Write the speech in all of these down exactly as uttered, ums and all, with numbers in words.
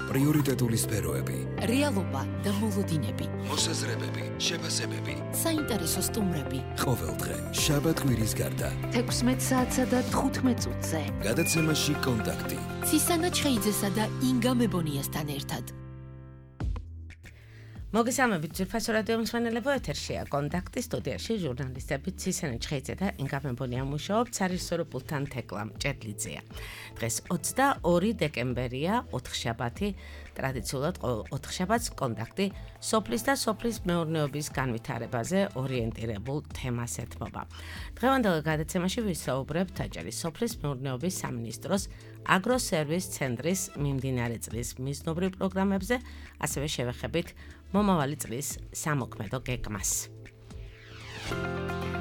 პრიორიტეტული სფეროები, რეალობა და მოლოდინები, მოსაზრებები, შეფასებები, საინტერესო სტუმრები. ყოველდღე შაბათ-კვირის გარდა თექვსმეტ საათსა და თხუთმეტ წუთზე გადაცემაში კონტაქტი ცისანა ჩხეიძესა და ინგა მებონიასთან ერთად. მოგესალმებით ძვირფასო რადიო მსმენელებო, ეთერშია კონტაქტი, სტუდიაში ჟურნალისტები ცისანა ჩხეიძე და ინგა მებონია მუშაობთ, სარისორო პულტთან თეკლა მჭედლიძეა. დღეს ოცდაორი დეკემბერია, ოთხშაბათი, ტრადიციულად ოთხშაბათს კონტაქტი სოფლის და სოფლის მეურნეობის განვითარებაზე ორიენტირებულ თემას ეთმობა. დღევანდელ გადაცემაში ვისაუბრებთ აჭარის სოფლის მეურნეობის სამინისტროს აგროსერვის ცენტრის მიმდინარე წლის მიზნობრივ პროგრამებზე, ასევე შევეხებით მომავალი წლის სამოქმედო გეგმას.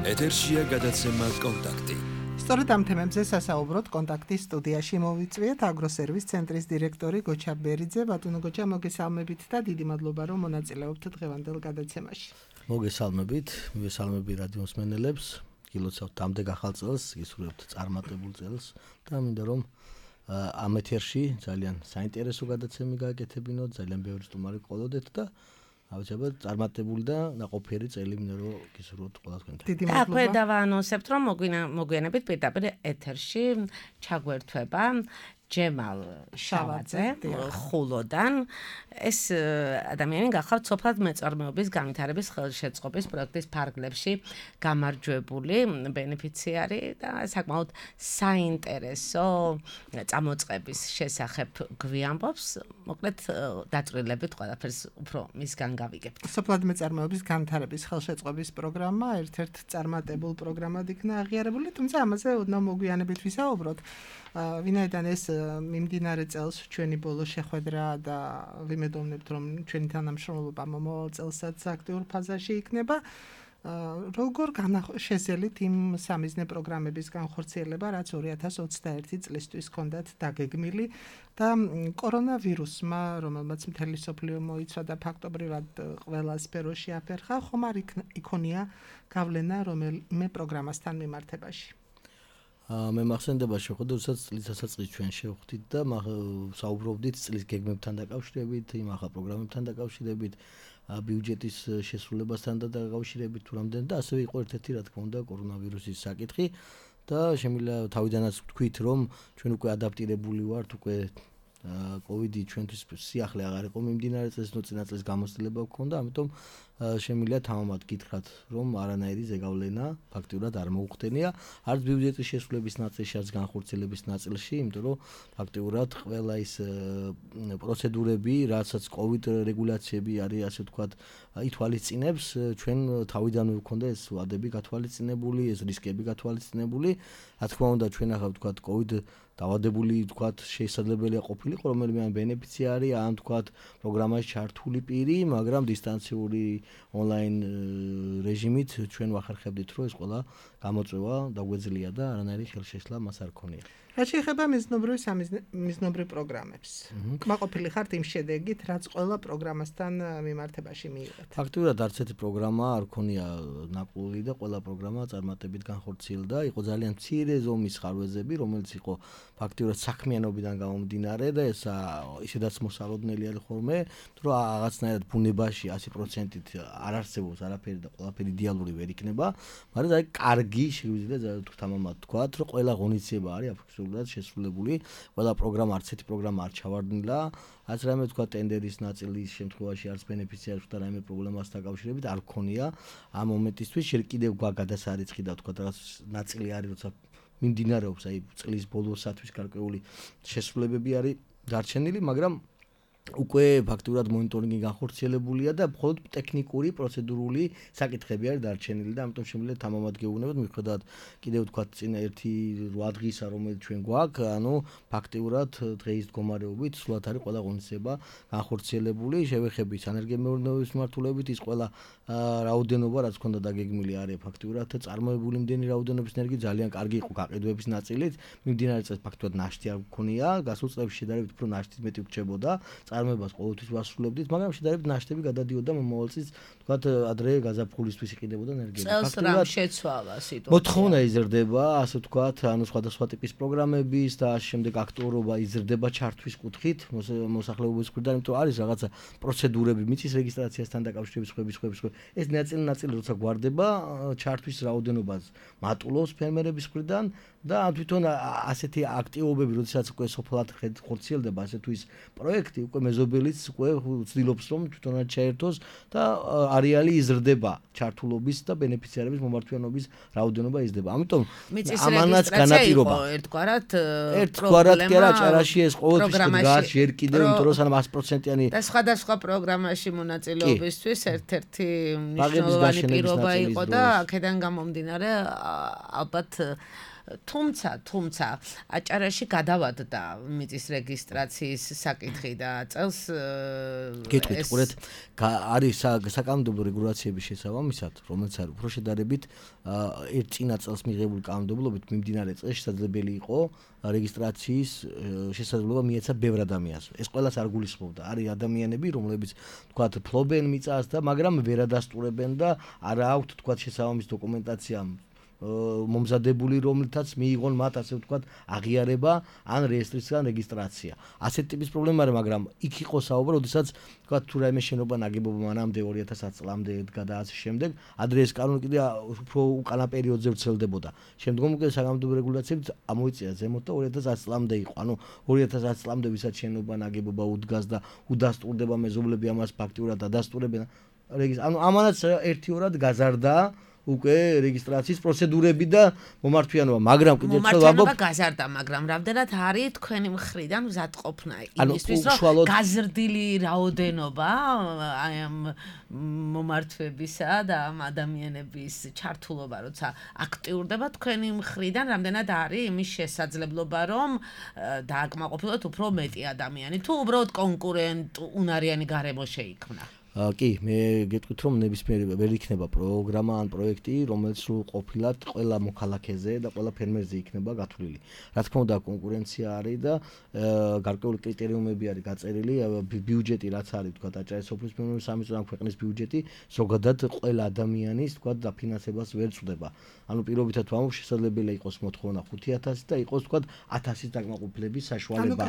ეთერშია გადაცემა კონტაქტი. სწორედ ამ თემებზე სასაუბროთ კონტაქტის სტუდიაში მოვიწვიეთ აგროსერვის ცენტრის დირექტორი გოჩა ბერიძე. ბატონო გოჩა, მოგესალმებით და დიდი მადლობა რომ მონაწილეობთ დღევანდელ გადაცემაში. მოგესალმებით, მოგესალმები რადიო მსმენელებს, გილოცავთ ამდენ ახალ წელს, გისურვებთ წარმატებულ წელს და მინდა რომ ამ ეთერში ძალიან საინტერესო გადაცემი გააკეთებინოთ, ძალიან ბევრი სტუმარი ყოლოდეთ და ავჭებად წარმატებული და ნაყოფიერი წელი მინდა რომ გისურვოთ ყველა თქვენთან. დიდი და მადლობა. აქვე დავაანონსებთ, რომ მოგვიანებით პირდაპირ ეთერში ჩაგვერთვება ჯემალ შავაძე ხულოდან. ეს ადამიანი გახავთ სოფლად მეწარმეობის განვითარების ხელშეწყობის პროექტის ფარგლებში გამარჯვებული ბენეფიციარი და საკმაოდ საინტერესო წამოწყების შესახებ გვიამბობს. მოკლედ დაწვრილებით ყველაფერს უფრო მისგან გავიგებთ. სოფლად მეწარმეობის განვითარების ხელშეწყობის პროგრამა ერთ-ერთ წარმატებულ პროგრამად იქნა აღიარებული, თუმცა ამაზე ოდნავ მოგვიანებით ვისაუბროთ. ვინაიდან ეს მიმდინარე წელს ჩვენი ბოლო შეხვედრა და ვიმედოვნებთ რომ ჩვენი თანამშრომლობა მომავალ წელსაც აქტიურ ფაზაში იქნება. როგორ განახორციელებთ იმ სამიზნე პროგრამების განხორციელება, რაც ორი ათას ოცდაერთი წლისთვის ჰქონდათ დაგეგმილი და კორონავირუსმა, რომელმაც მთელი სოფლიო მოიცვა და ფაქტობრივად ყველა სფეროში აფერხა, ხომ არ იქონია გავლენა რომელიმე პროგრამასთან მიმართებაში? მე მახსენდება შეხვედრა, როდესაც წლის დასაწყისში ჩვენ შევხვდით და საუბრობდით წლის გეგმებთან დაკავშირებით, იმ ახალ პროგრამებთან დაკავშირებით, ბიუჯეტის შესრულებასთან დაკავშირებით თუ რამდენ და ასევე იყო ერთ-ერთი რა თქმა უნდა კორონავირუსის საკითხი და შემიძლია თავიდანაც ვთქვით, რომ ჩვენ უკვე ადაპტირებული ვართ, უკვე კოვიდი ჩვენთვის სიახლე აღარ იყო მიმდინარე წელს, ნუ წინა წელს გამოცდილება გქონდა, ამიტომ შემიძლია თამამად გითხრათ, რომ არანაირი ზეგავლენა ფაქტიურად არ მოუხდენია, არც ბიუჯეტის შესრულების ნაწილში, არც განხორციელების ნაწილში, იმიტომ რომ ფაქტიურად ყველა ის პროცედურები, რასაც კოვიდ რეგულაციები არის, ასე ვთქვათ, ითვალისწინებს, ჩვენ თავიდანვე გვქონდა ეს ვადები გათვალისწინებული, ეს რისკები გათვალისწინებული. რა თქმა უნდა, ჩვენ ახლა ვთქვათ კოვიდ დავადებული ვთქვათ შესაძლებელია ყოფილიყო რომელიმე ამ ბენეფიციარი, ან ვთქვათ პროგრამაში ჩართული პირი, მაგრამ დისტანციური ონლაინ რეჟიმით ჩვენ ვახერხებდით, რომ ეს ყველა გამოწვევა დაგვეძლია და არანაირი ხელშეშლა მას არ ქონია. რაც შეეხება მიზნობრივ მიზნობრივ პროგრამებს. კმაყოფილი ხართ იმ შედეგით, რაც ყველა პროგრამასთან მიმართებაში მიიღეთ? ფაქტობრივად არც ერთი პროგრამა არ ქონია ნაკლული და ყველა პროგრამა წარმატებით განხორციელდა. იყო ძალიან მცირე ზომის ხარვეზები, რომელიც იყო ფაქტობრივად საქმიანობიდან გამომდინარე და ეს ისედაც მოსალოდნელი არის ხოლმე, რომ რაღაცნაირად ბუნებაში ასი პროცენტით არ არსებობს არაფერი და ყველაფერი იდეალური ვერ იქნება, მაგრამ აი კარგი შეგვიძლია თამამად თქვათ, რომ ყველა ღონისძიება არის აფიქსირებულად შესრულებული, ყველა პროგრამა არც ერთი პროგრამა არ ჩავარდნილა, არც რაიმე თქვა ტენდერის ნაწილის შემთხვევაში არც ბენეფიციარს და რაიმე პრობლემას დაკავშირებით არ ქონია ამ მომენტისთვის. შენ კიდევ გადასარიცხი და თქვა რაღაც ნაწილი არის, როცა მიმდინარეობს აი წლის ბოლოსათვის გარკვეული შესრულებები არის დარჩენილი, მაგრამ უკვე ფაქტურად მონიტორინგი განხორციელებულია და მხოლოდ ტექნიკური, პროცედურული საკითხები არის დარჩენილი და ამიტომ შემიძლია თამამად გეუბნებოდ, მიხედავად კიდევ ვთქვათ წინა ერთი რვა დღისა, რომელიც ჩვენ გვაქვს, ანუ ფაქტურად დღეის მდგომარეობით სულად არის ყველა ღონისძიება განხორციელებული. შევეხებით სანერგემეურნეობის მიმართულებით ის ყველა რაოდენობა, რაც ჰქონდა დაგეგმილი, არის ფაქტურად წარმოებული იმდენი რაოდენობის ენერგი ძალიან კარგი იყო გაყიდვების ნაწილით. მიმდინარე წელს ფაქტურად ნაშთი არ გქონია, გასულ წლებში შედარებით უფრო ნაშთი მეტი გრჩებოდა. წარმოებას ყოველთვის ვასრულებდით, მაგრამ შედარებით ნაშთები გადადიოდა მომავალ წელს, თქვათ ადრე გაზაფხულისთვის იყიდებოდა ენერგია. წელს რამ შეცვალა სიტუაცია. მოთხოვნა იზრდება, ასე ვთქვათ, ანუ სხვადასხვა ტიპის პროგრამების და ამ შემდეგ აქტუალობა იზრდება ჩართვის კუთხით, მოსახლეობის მხრიდან, იმიტომ არის რაღაცა პროცედურები, მიწის რეგისტრაციასთან დაკავშირების ხვების ხვების ხვების. ეს ნაწილი-ნაწილი როცა გვარდება, ჩართვის რაოდენობას მატულობს ფერმერების მხრიდან და თვითონ ასეთი აქტივობები, როდესაც უკვე სოფლად ხორციელდება ასე თუ ის პროექტი, უკვე მეზობელიც უკვე ცდილობს რომ თვითონაც ჩაერთოს და არეალი იზრდება, ჩართულობის და ბენეფიციარების მომართვიანობის რაოდენობა იზრდება. ამიტომ ამანაც განაპირობა. ერთგვარად ერთგვარად კი არა, ჭარაში ეს ყოველთვის დგას ჯერ კიდევ, იმიტომ რომ სანამ sto პროცენტიანი და სხვადასხვა პროგრამაში მონაწილეობისთვის ერთ-ერთი მნიშვნელოვანი პირობა იყო და აქედან გამომდინარე ალბათ თუმცა თუმცა აჭარაში გადავადდა მიწის რეგისტრაციის საკითხი და წელს გეტყვით ყურეთ არის საკანონმდებლო რეგულაციების შესაბამისად რომელიც არის უფრო შედარებით ერთ წინა წელს მიღებული კანონმდებლობით მიმდინარე წელს შესაძლებელი იყო რეგისტრაციის შესაძლებლობა მიეცა ბევრ ადამიანს ეს ყველას არ გულისხმობდა არის ადამიანები რომლებიც თქვათ ფლობენ მიწას და მაგრამ ვერ ადასტურებენ და არ აქვთ თქვათ შესაბამის დოკუმენტაცია მომზადებული რომელთაც მიიღონ მათ ასე ვთქვათ აღიარება ან რეესტრისგან რეგისტრაცია. ასეთ ტიპის პრობლემა არის, მაგრამ იქ იყო საუბარი, როდესაც ვთქვათ თუ რაიმე შენობა ნაგებობა მანამდე ორი ათას ათი წლამდე ედგა და ასე შემდეგ, ადრე ეს კანონი კიდე უფრო უკანა პერიოდზე ვრცელდებოდა. შემდგომ უკვე საკანონმდებლო რეგულაციებით ამოიწია ზემოთ და ორი ათას ათი წლამდე იყო. ანუ ორი ათას ათი წლამდე ვისაც შენობა ნაგებობა უდგას და უდასტურდება მეზობლები ამას ფაქტიურად ადასტურებენ. ანუ ამანაც ერთიორად გაზარდა უკვე რეგისტრაციის პროცედურები და მომართვიანობა, მაგრამ კიდევ ერთხელ ვამბობ, მომართვიანობა გაზარდა, მაგრამ რამდენად არის თქვენი მხრიდან მზადყოფნა იმისთვის, რომ გაზრდილი რაოდენობა აი ამ მომართვებისა და ამ ადამიანების ჩართულობა, როცა აქტიურდება თქვენი მხრიდან, რამდენად არის იმის შესაძლებლობა, რომ დააკმაყოფილოთ უფრო მეტი ადამიანი, თუ უბრალოდ კონკურენტ უნარიანი გარემო შეიქმნა. კი, მე გეტყვით რომ ნებისმიერი ვერ იქნება პროგრამა ან პროექტი, რომელიც სულ ყოფილად ყველა მოქალაქეზე და ყველა ფერმერზე იქნება გათვლილი. Რა თქმა უნდა, კონკურენცია არის და გარკვეული კრიტერიუმები არის გაწერილი, ბიუჯეტი რაც არის, თქვა აჭარის სოფლის მეურნეობის სამინისტროს ან ქვეყნის ბიუჯეტი, ზოგადად ყველა ადამიანის, თქვა დაფინანსებას ვერ წვდება. ანუ პირობითად ვამბობ, შესაძლებელია იყოს მოთხოვნა ხუთი ათასი და იყოს, თქვა ათასის დაკმაყოფილების საშუალება.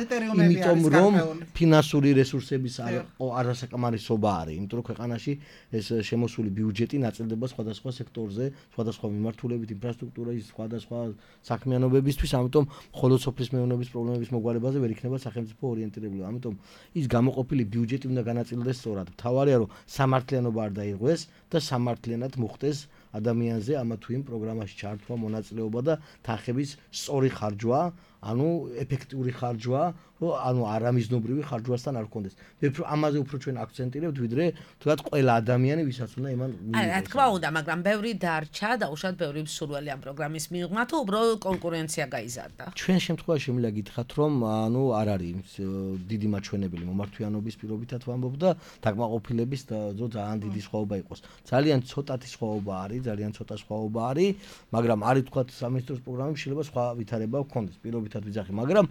იმიტომ რომ ფინანსური რესურსების არასაკმარისობა არის. იმიტომ რომ ქვეყანაში ეს შემოსული ბიუჯეტი ნაწილდება სხვადასხვა სექტორზე, სხვადასხვა მიმართულებით, ინფრასტრუქტურის, სხვადასხვა საქმიანობებისთვის, ამიტომ მხოლოდ სოფლის მეურნეობის პრობლემების მოგვარებაზე ვერ იქნება სახელმწიფო ორიენტირებული. ამიტომ ის გამოყოფილი ბიუჯეტი უნდა განაწილდეს სწორად. მთავარია რომ სამართლიანობა არ დაიღოს და სამართლიანად მოხდეს ადამიანზე ამა თუ იმ პროგრამაში ჩართვა, მონაწილეობა და თანხების სწორი ხარჯვა, ანუ ეფექტური ხარჯვა, ანუ არამიზნობრივი ხარჯვასთან არ გქონდეს. მე უფრო ამაზე უფრო ჩვენ აქცენტირებთ, ვიდრე თქვათ ყველა ადამიანი, ვისაც უნდა იმან მიიღოს. რა თქმა უნდა, მაგრამ ბევრი დარჩა და უშუალოდ ბევრი მსურველი ამ პროგრამის მიღმა, თუ უბრალოდ კონკურენცია გაიზარდა. ჩვენ შემთხვევაში შემიძლია გითხრათ, რომ ანუ არ არის დიდი მაჩვენებელი მომართვიანობის პირობითად ვამბობ და დაკმაყოფილების და ძალიან დიდი სხვაობა იყოს. ძალიან ცოტათი სხვაობა არის, ძალიან ცოტა სხვაობა არის, მაგრამ არის თქვათ სამინისტროს პროგრამებში შეიძლება სხვა ვითარება გქონდეს, პირობითად ვიძახი, მაგრამ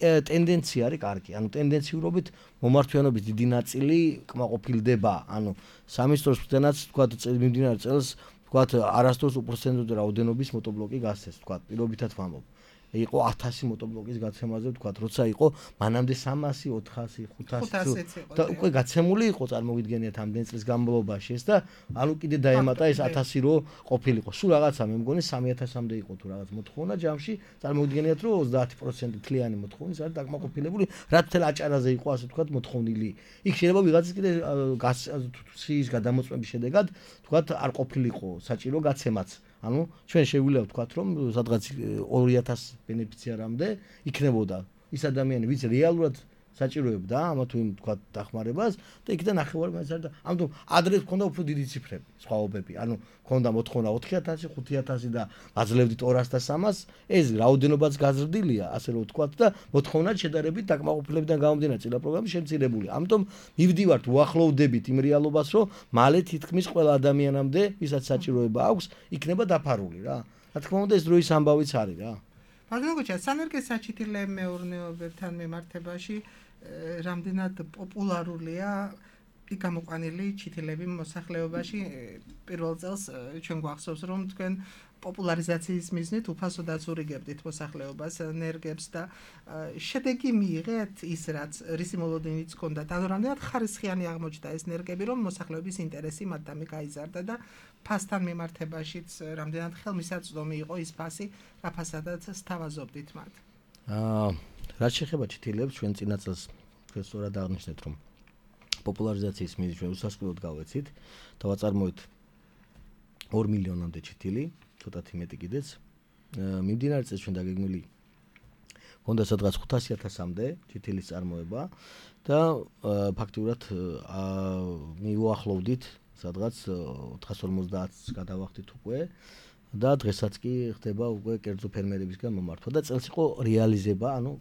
ტენდენცია არის კარგი. ანუ ტენდენციურობით მომართვიანობის დიდი ნაწილი კმაყოფილდება. ანუ სამინისტროს მხრიდანაც თქვათ მიმდინარე წელს თქვათ არასდროს უპროცენტო რაოდენობის მოტობლოკი გასცეს, თქვათ პირობითად ვამბობ. იყო ათასი მოტობლოკის გაცემაზე ვთქვათ, როცა იყო მანამდე სამასი, ოთხასი, ხუთასი და უკვე გაცემული იყო წარმოგიდგენიათ ამდენ წლის განმავლობაში ეს და ანუ კიდე დაემატა ეს ათასი რო ყოფილიყო. სულ რაღაცა მე მგონი სამი ათასამდე იყო თუ რაღაც მოთხოვნა ჯამში, წარმოგიდგენიათ რომ ოცდაათი პროცენტი თლიანი მოთხოვნის არის დაკმაყოფილებული, რაც თელ აჭარაზე იყო ასე ვთქვათ მოთხოვნილი. იქ შეიძლება ვიღაცის კიდე სიის გადამოწმების შედეგად ვთქვათ არ ყოფილიყო საჭირო გაცემაც. ანუ ჩვენ შეგვიძლია ვთქვათ რომ სადღაც ორი ათასი ბენეფიციარამდე იქნებოდა ის ადამიანი ვინც რეალურად საჭიროებდა ამა თუ იმ ვთქვათ დახმარებას და იქიდან ნახევარი მაინც არის და ამიტომ ადრე ჰქონდა უფრო დიდი ციფრები სხვაობები ანუ ჰქონდა მოთხოვნა ოთხი ათასი ხუთი ათასი და აძლევდით ორას და სამას ეს რაოდენობაც გაზრდილია ასე რომ ვთქვათ და მოთხოვნაც შედარებით დაკმაყოფილებიდან გამომდინარე წინა პროგრამის შემცირებული ამიტომ მივდივართ უახლოვდებით იმ რეალობას რომ მალე თითქმის ყველა ადამიანამდე ვისაც საჭიროება აქვს იქნება დაფარული რა რა თქმა უნდა ეს დროის ამბავიც არის რა ბატონო გოჩა, სანერგე საჩითილე მეურნეობებთან მიმართებაში რამდენად პოპულარულია გამოყვანილი ჩითილები მოსახლეობაში. პირველ წელს ჩვენ გვახსოვს, რომ თქვენ პოპულარიზაციის მიზნით უფასოდაც ურიგებდით მოსახლეობას ნერგებს და შედეგი მიიღეთ ის, რაც რისი მოლოდინიც ჰქონდათ. ანუ რამდენად ხარისხიანი აღმოჩნდა ეს ნერგები, რომ მოსახლეობის ინტერესი მათთან გაიზარდა და ფასთან მიმართებაშიც რამდენად ხელმისაწვდომი იყო ის ფასი, რა ფასადაც სთავაზობდით მათ. აა, რაც შეეხება ჩითილებს, ჩვენ წინა წელს ჩვენ სწორად აღნიშნეთ, რომ პოპულარიზაციის მიზნით ჩვენ უსასყიდოდ გავეცით და ვაწარმოეთ ორ მილიონამდე ჩითილი, ცოტათი მეტი კიდეც. მიმდინარე წელს ჩვენ დაგეგმილი ჰქონდა სადღაც ხუთასი ათასამდე ჩითილის წარმოება და ფაქტიურად მიუახლოვდით სადღაც ოთხას ორმოცდაათს გადავახდით უკვე და დღესაც კი ხდება უკვე კერძო ფერმერებისგან მომართვა და წელს იყო რეალიზება, ანუ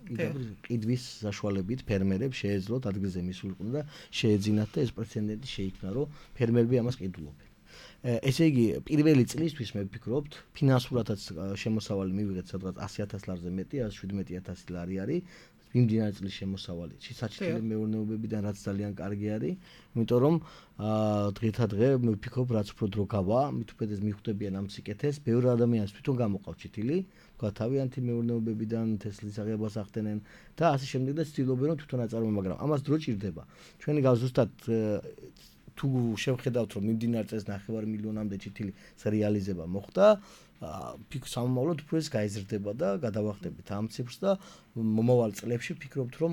კიდვის საშუალებით ფერმერებს შეეძლოთ ადგილზე მისულიყვნენ და შეეძინათ და ეს პრეცედენტი შეიქმნა, რომ ფერმერები ამას ყიდულობენ. ესე იგი, პირველი წლისთვის მე ვფიქრობთ, ფინანსურადაც შემოსავალი მივიღეთ სადღაც ასი ათას ლარზე მეტი, ათას შვიდმეტი ათასი ლარი არის. მიმდინარე წლის შემოსავალი საჩითილე მეურნეობებიდან რაც ძალიან კარგი არის, იმიტომ რომ დღეთა დღე მე ვფიქრობ, რაც უფრო დრო გავა, მით უმეტეს მიხვდებიან ამ სიკეთეს, ბევრი ადამიანს თვითონ გამოყავს ჩითილი, თქვა თავიანთი მეურნეობებიდან თესლის აღებას ახდენენ და ასე შემდეგ და ცდილობენ რომ თვითონ აწარმოებენ, მაგრამ ამას დრო ჭირდება. ჩვენი ზუსტად თუ შევხედავთ რომ მიმდინარე წელს ნახევარ მილიონამდე ჩითილი რეალიზება მოხდა, ფიქრ სამომავლოდ უფრო ეს გაიზრდება და გადავახდებით ამ ციფრს და მომავალ წლებში ვფიქრობთ რომ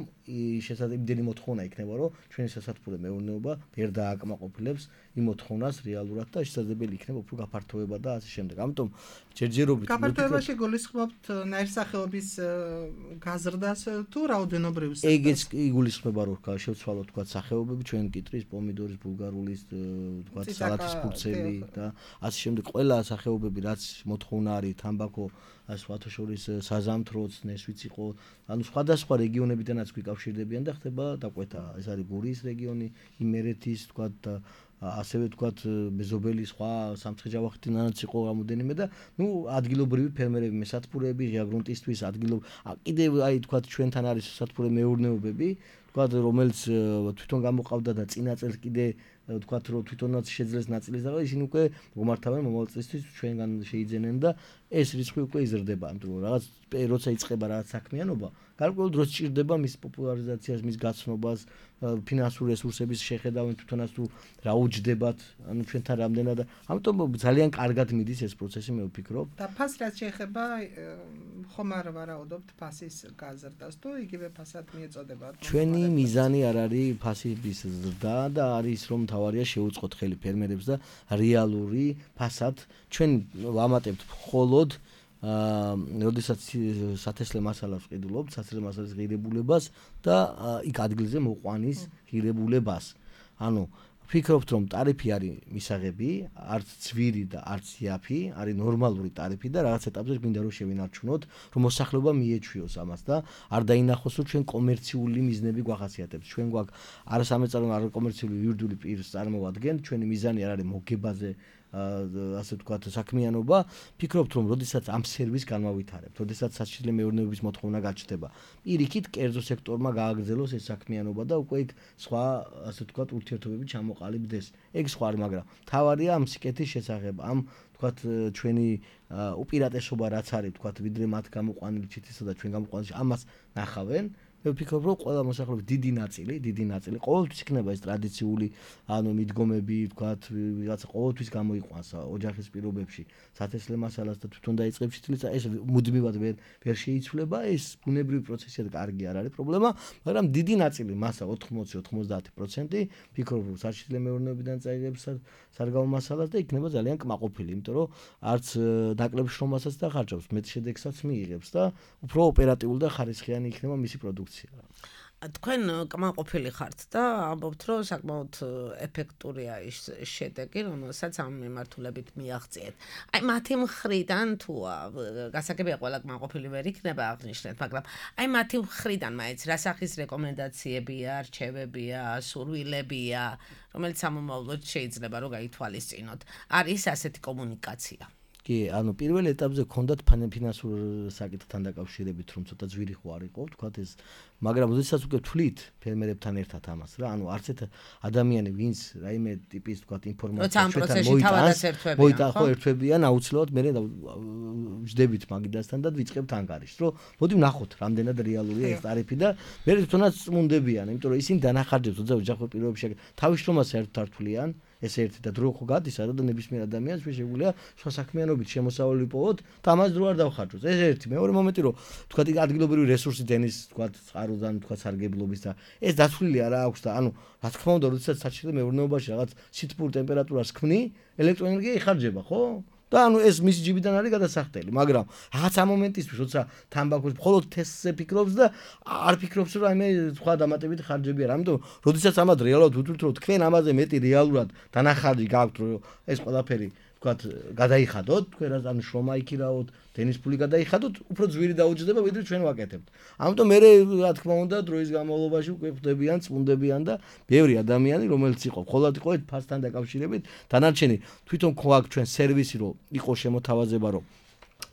შესაძლებელი მოთხოვნა იქნება რომ ჩვენი სასათბურე მეურნეობა ვერ დააკმაყოფილებს იმ მოთხოვნას რეალურად და შესაძლებელი იქნება უფრო გაფართოება და ასე შემდეგ. ამიტომ ჯერჯერობით გაფართოებაში გულისხმობთ ნაირსახეობის გაზრდას თუ რაოდენობრივ სექტორს? ეგეც იგულისხმება რომ შევცვალოთ თქვა სახეობები, ჩვენ კიტრის, პომიდორის, ბულგარულის, თქვა სალათის ფურცელი და ასე შემდეგ ყველა სახეობები რაც მოთხოვნა არის თამბაქო, სხვათა შორის საზამთროც, ნესვიც იყო, ანუ სხვადასხვა რეგიონებიდანაც გვიკავშირდებიან და ხდება დაკვეთა. ეს არის გურიის რეგიონი, იმერეთის, თქვა და ასევე თქვა მეზობელი სხვა სამცხე-ჯავახეთიდანაც იყო რამოდენიმე და ნუ ადგილობრივი ფერმერები, მესათბურეები, ღია გრუნტისთვის ადგილობ კიდევ აი თქვა ჩვენთან არის სასათბურე მეურნეობები, თქვა რომელიც თვითონ გამოყავდა და წინა წელს კიდე თქვა რომ თვითონაც შეძლეს ნაწილის და ისინი უკვე მომართავენ მომავალ წლისთვის ჩვენგან შეიძენენ და ეს რიცხვი უკვე იზრდება, იმიტომ რომ რაღაც როცა იწყება რაღაც საქმიანობა, გარკვეულ დროს ჭირდება მის პოპულარიზაციას, მის გაცნობას, ფინანსური რესურსების შეხედავენ თვითონაც თუ რა უჯდებათ, ანუ ჩვენთან რამდენად, ამიტომ ძალიან კარგად მიდის ეს პროცესი, მე ვფიქრობ. და ფას რაც შეეხება, ხომ არ ვარაუდობთ ფასის გაზრდას თუ იგივე ფასად მიეწოდება? ჩვენი მიზანი არ არის ფასის ზრდა და არის რომ თავარია შეუწყოთ ხელი ფერმერებს და რეალური ფასად ჩვენ ვამატებთ მხოლოდ აა, როდესაც სათესლე მასალას ვყიდულობთ, სათესლე მასალის ღირებულებას და იქ ადგილზე მოყვანის ღირებულებას. ანუ ვფიქრობთ, რომ ტარიფი არის მისაღები, არც ძვირი და არც იაფი, არის ნორმალური ტარიფი და რაღაც ეტაპზე გვინდა რომ შევინარჩუნოთ, რომ მოსახლეობა მიეჩვიოს ამას და არ დაინახოს, რომ ჩვენ კომერციული მიზნები გვახასიათებს. ჩვენ გვაქვს არა სამეწარმო, არა კომერციული იურიდიული პირს წარმოვადგენთ, ჩვენი მიზანი არ არის მოგებაზე ასე ვთქვათ საქმიანობა, ფიქრობთ რომ როდესაც ამ სერვისს განმავითარებთ, როდესაც საჩითლე მეურნეობის მოთხოვნა გაჩნდება, პირიქით კერძო სექტორმა გააგრძელოს ეს საქმიანობა და უკვე იქ სხვა ასე ვთქვათ ურთიერთობები ჩამოყალიბდეს. ეგ სხვა არის, მაგრამ თავარია ამ სიკეთის შესახებ, ამ ვთქვათ ჩვენი უპირატესობა რაც არის, ვთქვათ, ვიდრე მათ გამოყვანილი ჩითილსა და ჩვენ გამოყვანილში ამას ნახავენ. მე ვფიქრობ, რომ ყველა მოსახლეობის დიდი ნაწილი, დიდი ნაწილი ყოველთვის იქნება ეს ტრადიციული, ანუ მიდგომები, ვთქვათ, ვიღაცა ყოველთვის გამოიყვანს ოჯახის პირობებში სათესლე მასალას და თვითონ დაიწყებს ჩითილს და ეს მუდმივად ვერ ვერ შეიცვლება, ეს ბუნებრივი პროცესია და კარგი არ არის პრობლემა, მაგრამ დიდი ნაწილი მასა ოთხმოცი ოცდაათი პროცენტი ვფიქრობ, რომ საჩითლე მეურნეობიდან წაიღებს სარგავო მასალას და იქნება ძალიან კმაყოფილი, იმიტომ რომ არც ნაკლებ შრომასაც და ხარჯავს, მეტ შედეგსაც მიიღებს და უფრო ოპერატიული და ხარისხიანი იქნება მისი პროდუქცია. თქვენ კმაყოფილი ხართ და ამბობთ, რომ საკმაოდ ეფექტურია ის შედეგი, რომელსაც ამ მიმართულებით მიაღწიეთ. აი მათი მხრიდან თუ გასაგებია ყველა კმაყოფილი ვერ იქნება აღნიშნეთ, მაგრამ აი მათი მხრიდან მაინც რა სახის რეკომენდაციებია, არჩევებია, სურვილებია, რომელიც სამომავლოდ შეიძლება რომ გაითვალისწინოთ. არის ასეთი კომუნიკაცია? კი, ანუ პირველ ეტაპზე გქონდათ ფინანსურ საკითხთან დაკავშირებით, რომ ცოტა ძვირი ხო არ იყო, თქვათ ეს, მაგრამ როდესაც უკვე თვლით ფერმერებთან ერთად ამას რა, ანუ არც ერთ ადამიანი, ვინც რაიმე ტიპის თქვათ ინფორმაცია ჩვენთან მოიტანს, მოიტანს ხო ერთვებიან, აუცილებლად მე ვждებით მაგიდასთან და ვიწყებთ ანგარიშს, რომ მოდი ვნახოთ, რამდენად რეალურია ეს ტარიფი და მე თვითონაც წმუნდებიან, იმიტომ რომ ისინი დანახარჯებს უძრავ ოჯახურ პირობებში თავის შრომას საერთოდ არ თვლიან. ეს ერთი და დრო ხო გადის არა და ნებისმიერ ადამიანს შეგვიძლია სხვა საქმიანობით შემოსავალი ვიპოვოთ და ამას დრო არ დავხარჯოთ. ეს ერთი. მეორე მომენტი რომ თქვა ადგილობრივი რესურსი დენის თქვა წყაროდან თქვა სარგებლობის და ეს დათვლილი არა აქვს და ანუ რა თქმა უნდა როდესაც საჭირო მეურნეობაში რაღაც სითბურ ტემპერატურას ქმნი ელექტროენერგია იხარჯება ხო? და ანუ ეს მისი ჯიბიდან არის გადასახდელი, მაგრამ რაღაცა მომენტისთვის როცა თამბაქოს მხოლოდ თესზე ფიქრობს და არ ფიქრობს რომ აი მე სხვა დამატებით ხარჯები არა. ამიტომ როდესაც ამად რეალურად ვთვლით რომ თქვენ ამაზე მეტი რეალურად დანახარჯი გაქვთ რომ ეს ყველაფერი ვთქვათ გადაიხადოთ, თქვენ რა ანუ შრომა იქირაოთ, დენის ფული გადაიხადოთ, უფრო ძვირი დაუჯდება ვიდრე ჩვენ ვაკეთებთ. ამიტომ მე რა თქმა უნდა დროის განმავლობაში უკვე ხვდებიან, წმუნდებიან და ბევრი ადამიანი რომელიც იყო მხოლოდ იყო ფასთან დაკავშირებით, დანარჩენი თვითონ გვაქვს ჩვენ სერვისი რომ იყო შემოთავაზება რომ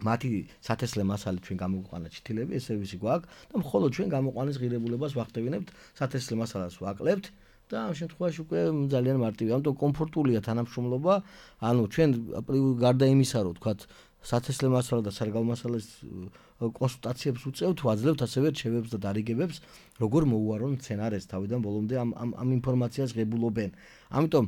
მათი სათესლე მასალით ჩვენ გამოგვყანა ჩითილები, ეს სერვისი გვაქვს და მხოლოდ ჩვენ გამოყვანის ღირებულებას ვახდევინებთ, სათესლე მასალას ვაკლებთ. და ამ შემთხვევაში უკვე ძალიან მარტივია, ამიტომ კომფორტულია თანამშრომლობა, ანუ ჩვენ გარდა იმისა, რომ თქვათ სათესლე მასალა და სარგავ მასალას კონსულტაციებს უწევთ, ვაძლევთ ასევე რჩევებს და დარიგებებს, როგორ მოუარონ სცენარეს თავიდან ბოლომდე ამ ამ ამ ინფორმაციას ღებულობენ. ამიტომ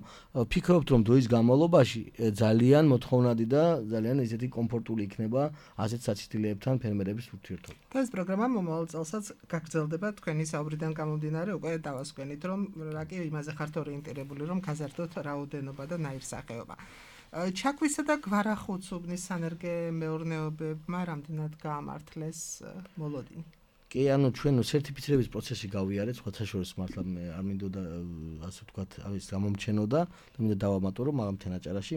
ფიქრობთ, რომ დროის განმავლობაში ძალიან მოთხოვნადი და ძალიან ისეთი კომფორტული იქნება ასეთ საციტილებთან ფერმერების ურთიერთობა. ეს პროგრამა მომავალ წელსაც გაგრძელდება თქვენი საუბრიდან გამომდინარე, უკვე დავასკვენით, რომ რა კი იმაზე ხართ ორიენტირებული, რომ გაზარდოთ რაოდენობა და ნაირსახეობა. ჩაქვისა და გვარახუცუბნის სანერგე-მეურნეობებმა რამდენად გაამართლეს მოლოდინი? კი, ანუ ჩვენ სერტიფიცირების პროცესი გავიარეთ, სხვა საშუალოს მართლა არ მინდოდა ასე ვთქვათ, ის გამომჩენოდა და მინდა დავამატო, რომ მაგამთან აჭარაში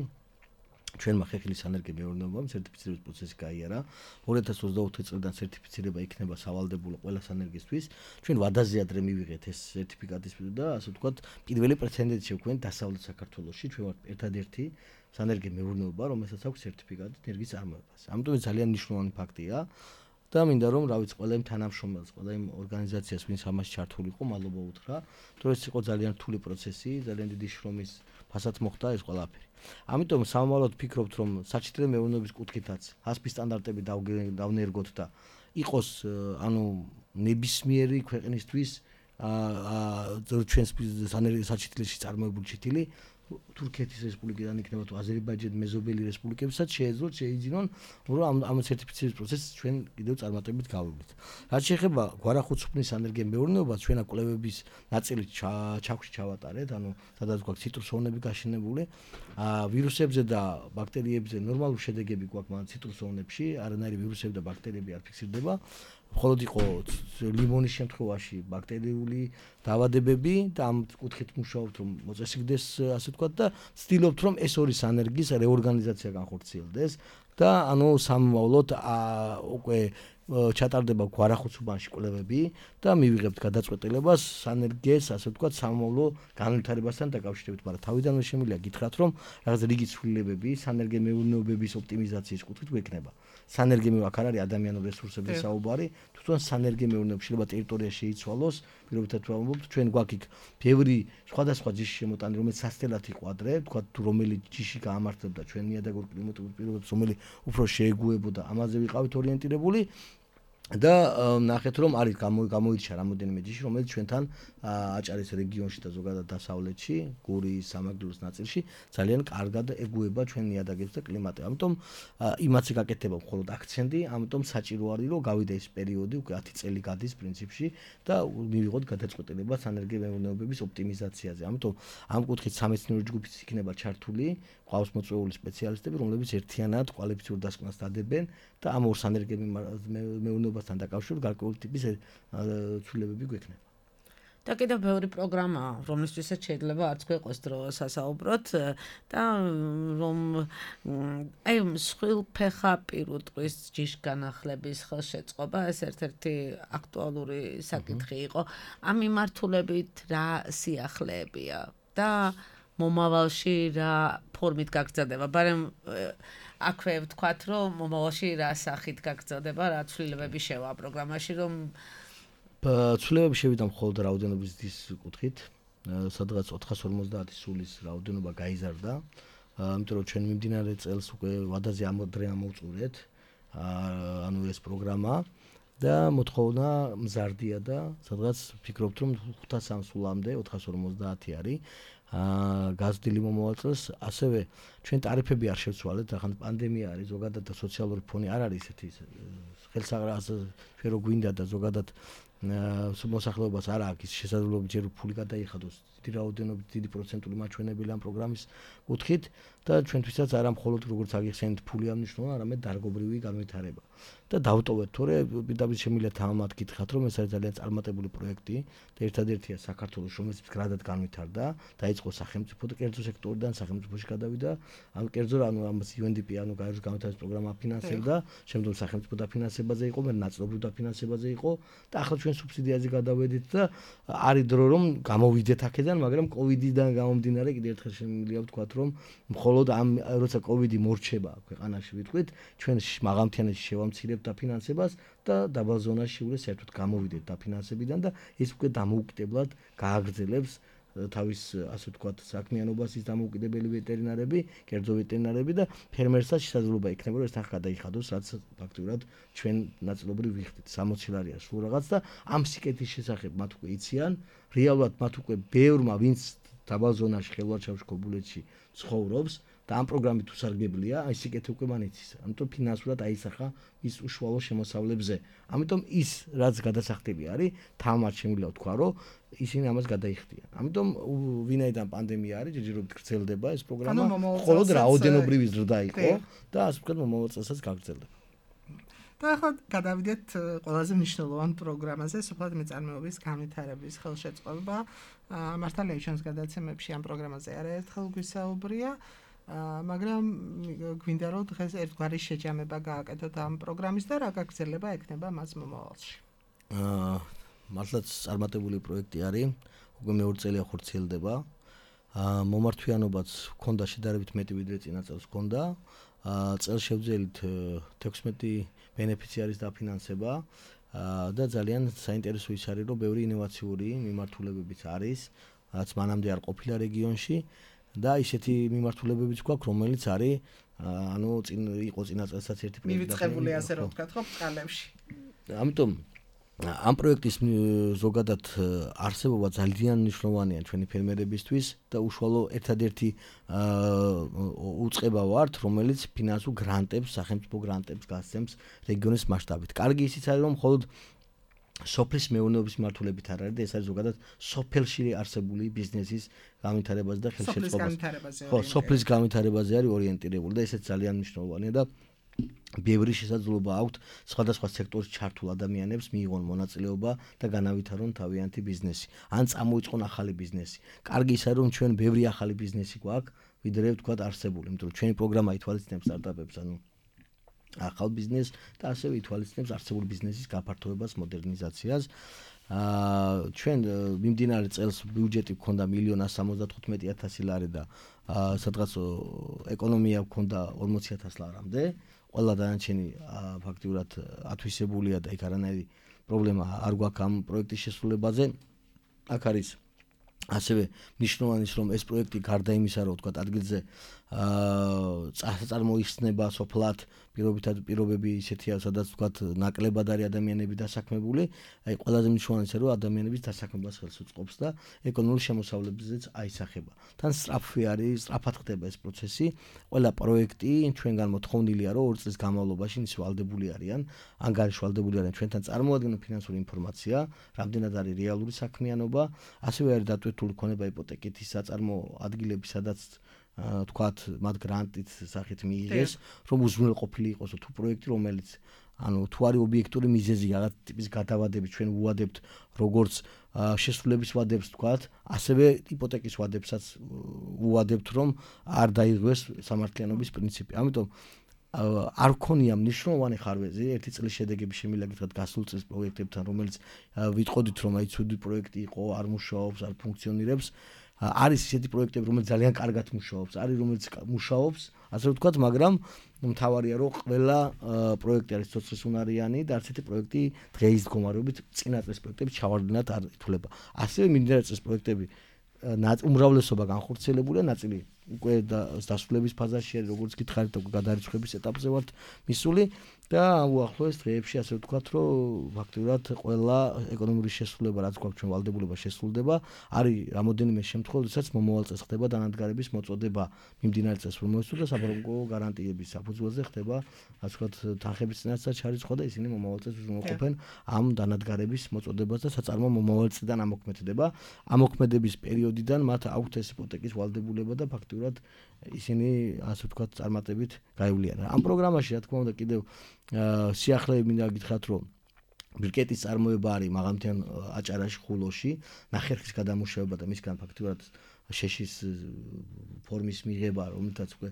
ჩვენმა ხეხილის სანერგე-მეურნეობამ სერტიფიცირების პროცესი გაიარა. ორი ათას ოცდაოთხი წლიდან სერტიფიცირება იქნება სავალდებულო ყველა სანერგისთვის. ჩვენ ვადაზე ადრე მივიღეთ ეს სერტიფიკატის და ასე ვთქვათ, პირველი პრეცედენტი შეგვქონდა დასავლეთ საქართველოში. ჩვენ ვართ ერთადერთი სანერგე-მეურნეობა, რომელსაც აქვს სერტიფიკატი ენერგიის წარმოებას. ამიტომ ეს ძალიან მნიშვნელოვანი ფაქტია და მინდა რომ რა ვიცი, ყველა იმ თანამშრომელს, ყველა იმ ორგანიზაციას, ვინც ამაში ჩართული იყო, მადლობა უთხრა, რომ ეს იყო ძალიან რთული პროცესი, ძალიან დიდი შრომის ფასად მოხდა ეს ყველაფერი. ამიტომ სამომავლოდ ვფიქრობთ, რომ საჭირო მეურნეობის კუთხითაც ასპი სტანდარტები დავნერგოთ და იყოს ანუ ნებისმიერი ქვეყნისთვის აა ჩვენს საჭირო წარმოებული ჩითილი თურქეთის რესპუბლიკიდან იქნება თუ აზერბაიჯანი მეზობელი რესპუბლიკებსაც შეეძლოთ შეიძინონ რომ ამ ამ სერტიფიცირების პროცესს ჩვენ კიდევ წარმატებით გავივლით. რაც შეეხება გვარახუცუბნის სანერგე-მეურნეობას, ჩვენ კვლევების ნაწილი ჩაქვში ჩავატარეთ, ანუ სადაც გვაქვს ციტრუსოვნები გაშენებული, აა ვირუსებზე და ბაქტერიებზე ნორმალური შედეგები გვაქვს მაგრამ ციტრუსოვნებში, არანაირი ვირუსები და ბაქტერიები არ ფიქსირდება. მხოლოდ იყო ლიმონის შემთხვევაში ბაქტერიული დაავადებები და ამ კუთხით მუშაობთ რომ მოწესრიგდეს ასე ვთქვათ და ვცდილობთ რომ ეს ორი სანერგის რეორგანიზაცია განხორციელდეს და ანუ სამომავლოდ უკვე ჩატარდება გვარახუცუბანში კვლევები და მივიღებთ გადაწყვეტილებას სანერგეს ასე ვთქვათ სამომავლო განვითარებასთან დაკავშირებით, მაგრამ თავიდანვე შემიძლია გითხრათ რომ რაღაც რიგი ცვლილებები სანერგე-მეურნეობების ოპტიმიზაციის კუთხით გვექნება. სანერგე-მეურნეობა აქ არ არის ადამიანურ რესურსებზე საუბარი, თვითონ სანერგე-მეურნეობა შეიძლება ტერიტორია შეიცვალოს, პირობითად ვამბობთ, ჩვენ გვაქვს იქ ბევრი სხვადასხვა ჯიში შემოტანი, რომელიც სასწელად იყო ადრე, თქვა თუ რომელი ჯიში გაამართლებდა ჩვენ ნიადაგურ კლიმატურ პირობებს, რომელი უფრო შეეგუებოდა, ამაზე ვიყავით ორიენტირებული. და ნახეთ რომ არის გამოირჩა რამოდენიმე ჯიში, რომელიც ჩვენთან აჭარის რეგიონში და ზოგადად დასავლეთში, გურიის, სამაგდურის ნაწილში ძალიან კარგად ეგუება ჩვენ ნიადაგებს და კლიმატი. ამიტომ იმაცი გაკეთება მხოლოდ აქცენტი, ამიტომ საჭირო არის რომ გავიდა ეს პერიოდი, უკვე ათი წელი გადის პრინციპში და მივიღოთ გადაწყვეტილება სანერგე-მეურნეობების ოპტიმიზაციაზე. ამიტომ ამ კუთხით სამეცნიერო ჯგუფიც იქნება ჩართული, ყავს მოწვეული სპეციალისტები, რომლებიც ერთიანად კვალიფიციურ დასკვნას დადებენ და ამ ორ სანერგე-მეურნეობასთან დაკავშირებით გარკვეული ტიპის ცვლილებები გვექნება. და კიდევ ბევრი პროგრამაა, რომლისთვისაც შეიძლება არც გვეყოს დრო სასაუბროთ და რომ აი მსხვილფეხა პირუტყვის ჯიშგანახლების ხელშეწყობა ეს ერთ-ერთი აქტუალური საკითხი იყო. ამ მიმართულებით რა სიახლეებია და მომავალში რა ფორმით გაგრძელდება, მაგრამ აქვე ვთქვათ, რომ მომავალში რა სახით გაგრძელდება, რა ცვლილებები შევა პროგრამაში, რომ ცვლილებები შევიდა მხოლოდ რაოდენობის ზრდის კუთხით, სადღაც ოთხას ორმოცდაათი სულის რაოდენობა გაიზარდა, იმიტომ რომ ჩვენ მიმდინარე წელს უკვე ვადაზე ამოდრე ამოვწურეთ, ანუ ეს პროგრამა და მოთხოვნა მზარდია და სადღაც ფიქრობთ რომ ხუთას ამ სულამდე ოთხას ორმოცდაათი არის გაზრდილი მომავალ წელს, ასევე ჩვენ ტარიფები არ შევცვალეთ, ახლა პანდემია არის, ზოგადად სოციალური ფონი არ არის ესეთი ხელსაყრელს ჩვენ რო გვინდა და ზოგადად მოსახლეობას არ აქვს ის შესაძლებლობა ჯერ ფული გადაიხადოს დიდი რაოდენობით დიდი პროცენტული მაჩვენებელი ამ პროგრამის კუთხით და ჩვენთვისაც არა მხოლოდ როგორც აგიხსენეთ ფული ამნიშნულა, არამედ დარგობრივი განვითარება. და დავტოვეთ, თორე პირდაპირ შემიძლია თამამად გითხრათ, რომ ეს არის ძალიან წარმატებული პროექტი და ერთადერთია საქართველოს, რომელიც მდგრადად განვითარდა, დაიწყო სახელმწიფო და კერძო სექტორიდან სახელმწიფოში გადავიდა, ანუ კერძო ანუ ამას იუ ენ დი პი ანუ გაეროს განვითარების პროგრამა აფინანსებდა, შემდგომ სახელმწიფო დაფინანსებაზე იყო, მე ნაწილობრივ დაფინანსებაზე იყო და ახლა ჩვენ სუბსიდიაზე გადავედით და არის დრო რომ გამოვიდეთ აქედან, მაგრამ კოვიდიდან გამომდინარე კიდევ ერთხელ შემიძლია ვთქვათ, რომ მხოლოდ ამ როცა კოვიდი მორჩება ქვეყანაში ვიტყვით, ჩვენ მაღალმთიანეთში შევამცირებთ დაფინანსებას და დაბალ ზონაში უკვე საერთოდ გამოვიდეთ დაფინანსებიდან და ეს უკვე დამოუკიდებლად გააგრძელებს თავის ასე ვთქვათ საქმიანობას ის დამოუკიდებელი ვეტერინარები, კერძო ვეტერინარები და ფერმერსაც შესაძლებლობა იქნება რომ ეს თან გადაიხადოს, რაც ფაქტურად ჩვენ ნაწილობრივ ვიხდით სამოცი ლარია სულ რაღაც და ამ სიკეთის შესახებ მათ უკვე იციან, რეალურად მათ უკვე ბევრმა ვინც დაბალ ზონაში ხელვაჩავში ქობულეთში ცხოვრობს და ამ პროგრამით უსარგებლია, აი სიკეთე უკვე მან იცის. ამიტომ ფინანსურად აისახა ის უშუალო შემოსავლებზე. ამიტომ ის რაც გადასახდელი არის, თამარ შემიძლია ვთქვა, რომ ისინი ამას გადაიხდიან. ამიტომ ვინაიდან პანდემია არის, ჯერჯერობით გრძელდება ეს პროგრამა, მხოლოდ რაოდენობრივი ზრდა იყო და ასე ვთქვათ მომავალ წელსაც გაგრძელდება. და ახლა გადავიდეთ ყველაზე მნიშვნელოვან პროგრამაზე, სოფლად მეწარმეობის განვითარების ხელშეწყობა. მართალია ჩვენს გადაცემებში ამ პროგრამაზე არაერთხელ გვისაუბრია. მაგრამ გვინდა რომ დღეს ერთგვარი შეჯამება გააკეთოთ ამ პროგრამის და რა გაგრძელება ექნება მას მომავალში. აა მართლაც წარმატებული პროექტი არის, უკვე მეორე წელია ხორციელდება. აა მომართვიანობაც ჰქონდა შედარებით მეტი ვიდრე წინა წელს ჰქონდა. აა წელშევძელით თექვსმეტი ბენეფიციარის დაფინანსება და ძალიან საინტერესო ის არის, რომ ბევრი ინოვაციური მიმართულებებიც არის, რაც მანამდე არ ყოფილა რეგიონში. და ისეთი მიმართულებებიც გვაქვს, რომელიც არის ანუ წინ იყო წინა წელსაც ერთი პროექტი მივიწყებული ასე რომ ვთქვათ, ხო, წყალებში. ამიტომ ამ პროექტის ზოგადად არსებობა ძალიან მნიშვნელოვანია ჩვენი ფერმერებისთვის და უშუალო ერთადერთი უწყება ვართ, რომელიც ფინანსურ გრანტებს, სახელმწიფო გრანტებს გასცემს რეგიონის მასშტაბით. კარგი ისიც არის, რომ მხოლოდ სოფლის მეურნეობის მართულებით არ არის და ეს არის ზოგადად სოფელში არსებული ბიზნესის განვითარებაზე და ხელშეწყობაზე. ხო, სოფლის განვითარებაზე არის ორიენტირებული და ესეც ძალიან მნიშვნელოვანია და ბევრი შესაძლებლობა აქვთ სხვადასხვა სექტორში ჩართულ ადამიანებს მიიღონ მონაწილეობა და განავითარონ თავიანთი ბიზნესი. ან წამოიწყონ ახალი ბიზნესი. კარგი ის არის, რომ ჩვენ ბევრი ახალი ბიზნესი გვაქვს, ვიდრე ვთქვათ არსებული, იმიტომ რომ ჩვენი პროგრამა ითვალისწინებს სტარტაპებს, ანუ ახალ ბიზნესს და ასევე ითვალისწინებს არსებული ბიზნესის გაფართოებას, მოდერნიზაციას. აა ჩვენ მიმდინარე წელს ბიუჯეტი გქონდა მილიონი ასი სამოცდათხუთმეტი ათასი ლარი და სადღაც ეკონომია გქონდა ორმოცი ათას ლარამდე. ყველა დანარჩენი ფაქტიურად ათვისებულია და იქ არანაირი პრობლემა არ გვაქვს ამ პროექტის შესრულებაზე. აქ არის ასევე მნიშვნელოვანი ის, რომ ეს პროექტი გარდა იმისა, რომ ვთქვათ ადგილზე აა წარმოიხსნება სოფლად პირობითად პირობები ისეთია, სადაც ვთქვათ ნაკლებად არის ადამიანები დასაქმებული, აი ყველაზე მნიშვნელოვანი ისე რომ ადამიანების დასაქმებას ხელს უწყობს და ეკონომიკური შემოსავლებზეც აისახება. თან სწრაფი არის, სწრაფად ხდება ეს პროცესი. ყველა პროექტი ჩვენგან მოთხოვნილია, რომ ორი წლის განმავლობაში ის ვალდებული არიან, ან გარშვალდებული არიან ჩვენთან წარმოადგენენ ფინანსური ინფორმაცია, რამდენად არის რეალური საქმიანობა, ასევე არის დატვირთული ქონება იპოთეკით ის საწარმო ადგილები, სადაც თქვათ მათ გრანტით სახით მიიღეს, რომ უზრუნველყოფილი იყოს თუ პროექტი, რომელიც ანუ თუ არის ობიექტური მიზეზი რაღაც ტიპის გადავადებით ჩვენ ვუადებთ როგორც შესრულების ვადებს თქვათ, ასევე იპოთეკის ვადებსაც ვუადებთ, რომ არ დაიღოს სამართლიანობის პრინციპი. ამიტომ არ ქონია მნიშვნელოვანი ხარვეზი ერთი წლის შედეგები შემიძლია გითხრათ გასულ წლის პროექტებთან, რომელიც ვიტყოდით რომ აი ცუდი პროექტი იყო, არ მუშაობს, არ ფუნქციონირებს. არის ისეთი პროექტები, რომელიც ძალიან კარგად მუშაობს, არის რომელიც მუშაობს, ასე ვთქვათ, მაგრამ მთავარია რომ ყველა პროექტი არის ცოცხლის უნარიანი და არც ერთი პროექტი დღეის მდგომარეობით წინა წლის პროექტები ჩავარდნად არ ითვლება. ასევე მიმდინარე წლის პროექტები უმრავლესობა განხორციელებულია, ნაწილი უკვე დასრულების ფაზაში არის, როგორც გითხარით, უკვე გადარიცხვის ეტაპზე ვართ მისული და უახლოეს დღეებში ასე ვთქვათ, რომ ფაქტურად ყველა ეკონომიკური შესრულება, რაც გვაქვს ჩვენ ვალდებულება შესრულდება, არის რამოდენიმე შემთხვევა, როდესაც მომავალ წელს ხდება დანადგარების მოწოდება მიმდინარე წელს რომ მოისურვა საფრანგო გარანტიების საფუძველზე ხდება, ასე ვთქვათ, თანხების წინასწარ ჩარიცხვა და ისინი მომავალ წელს უზრუნველყოფენ ამ დანადგარების მოწოდებას და საწარმო მომავალ წლიდან ამოქმედება. ამოქმედების პერიოდიდან მათ აქვთ ეს იპოთეკის ვალდებულება და ფაქტურად ისინი ასე ვთქვათ წარმატებით გაივლიან. ამ პროგრამაში რა თქმა უნდა კიდევ სიახლეები მინდა გითხრათ რომ ბრიკეტის წარმოება არის მაღალმთიან აჭარაში ხულოში, ნახერხის გადამუშავება და მისგან ფაქტურად შეშის ფორმის მიღება, რომელთაც უკვე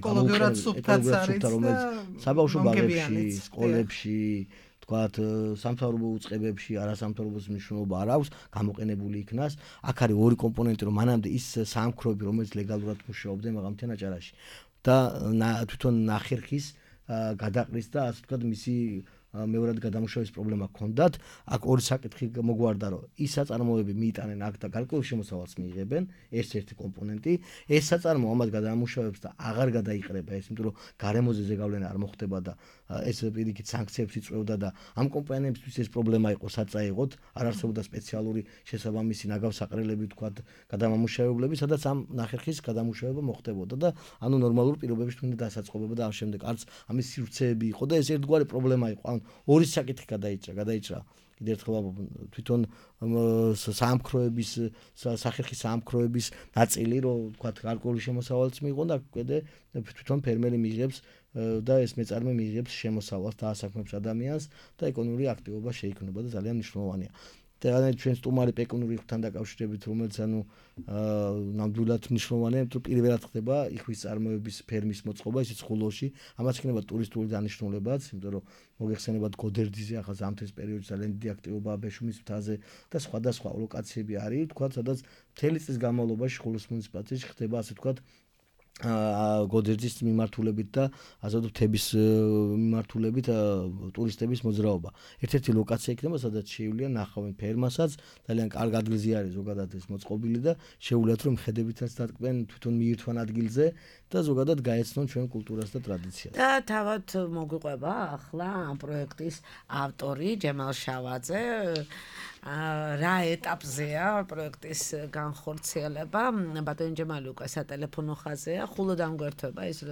ეკოლოგიურად სუფთაც არის და საბავშვო ბაღებში, სკოლებში, თქვათ სამთავრობო უწყებებში არასამთავრობო მნიშვნელობა არ აქვს, გამოყენებული იქნას. აქ არის ორი კომპონენტი, რომ მანამდე ის საამქროები, რომელიც ლეგალურად მუშაობდნენ მაღალმთიან აჭარაში და თვითონ ნახერხის გადაყრის და ასე ვთქვათ მისი მეორად გადამუშავების პრობლემა ჰქონდათ. აქ ორი საკითხი მოგვარდა, რომ ის საწარმოები მიიტანენ აქ და გარკვეულ შემოსავალს მიიღებენ, ეს ერთი კომპონენტი. ეს საწარმო ამას გადამუშავებს და აღარ გადაიყრება, ეს იმიტომ რომ გარემოზე ზეგავლენა არ მოხდება და ეს პირიქით სანქციებს იწვევდა და ამ კომპანიებისთვის ეს პრობლემა იყო საწაიღოთ, არ არსებობდა სპეციალური შესაბამისი ნაგავსაყრელები თქვათ გადამამუშავებლები, სადაც ამ ნახერხის გადამუშავება მოხდებოდა და ანუ ნორმალურ პირობებში თუნდაც დასაწყობება და ამ შემდეგ არც ამის სივრცეები იყო და ეს ერთგვარი პრობლემა იყო. ორი საკითხი გადაიჭრა, გადაიჭრა კიდევ ერთხელ თვითონ საამქროების სახერხის საამქროების ნაწილი, რომ თქვათ გარკვეული შემოსავალიც მიიღო და კიდე თვითონ ფერმერი მიიღებს და ეს მეწარმე მიიღებს შემოსავალს და ასაქმებს ადამიანს და ეკონომიკური აქტივობა შეიქმნება და ძალიან მნიშვნელოვანია. და ჩვენ სტუმარი ეკონომიკური ხთან დაკავშირებით, რომელიც ანუ ნამდვილად მნიშვნელოვანია, იმიტომ რომ პირველად ხდება იხვის წარმოების ფერმის მოწყობა, ისიც ხულოში, ამას იქნება ტურისტული დანიშნულებაც, იმიტომ რომ მოგეხსენებათ გოდერძიზე ახლა ზამთრის პერიოდში ძალიან დიდი აქტივობაა ბეშუმის მთაზე და სხვადასხვა ლოკაციები არის, თქვათ, სადაც მთელი წლის განმავლობაში ხულოს მუნიციპალიტეტში ხდება ასე თქვათ გოდერძის მიმართულებით და ასე ვთქვათ მთების მიმართულებით ტურისტების მოძრაობა. ერთ-ერთი ლოკაცია იქნება, სადაც შეუძლია ნახავენ ფერმასაც, ძალიან კარგ ადგილზე არის ზოგადად ეს მოწყობილი და შეუძლიათ რომ ხედებითაც დატკბენ თვითონ მიირთვან ადგილზე და ზოგადად გაეცნონ ჩვენ კულტურას და ტრადიციას. და თავად მოგვიყვება ახლა ამ პროექტის ავტორი ჯემალ შავაძე. რა ეტაპზეა პროექტის განხორციელება? ბატონი ჯემალი უკვე სატელეფონო ხაზია, ხულოდან გვერდება ის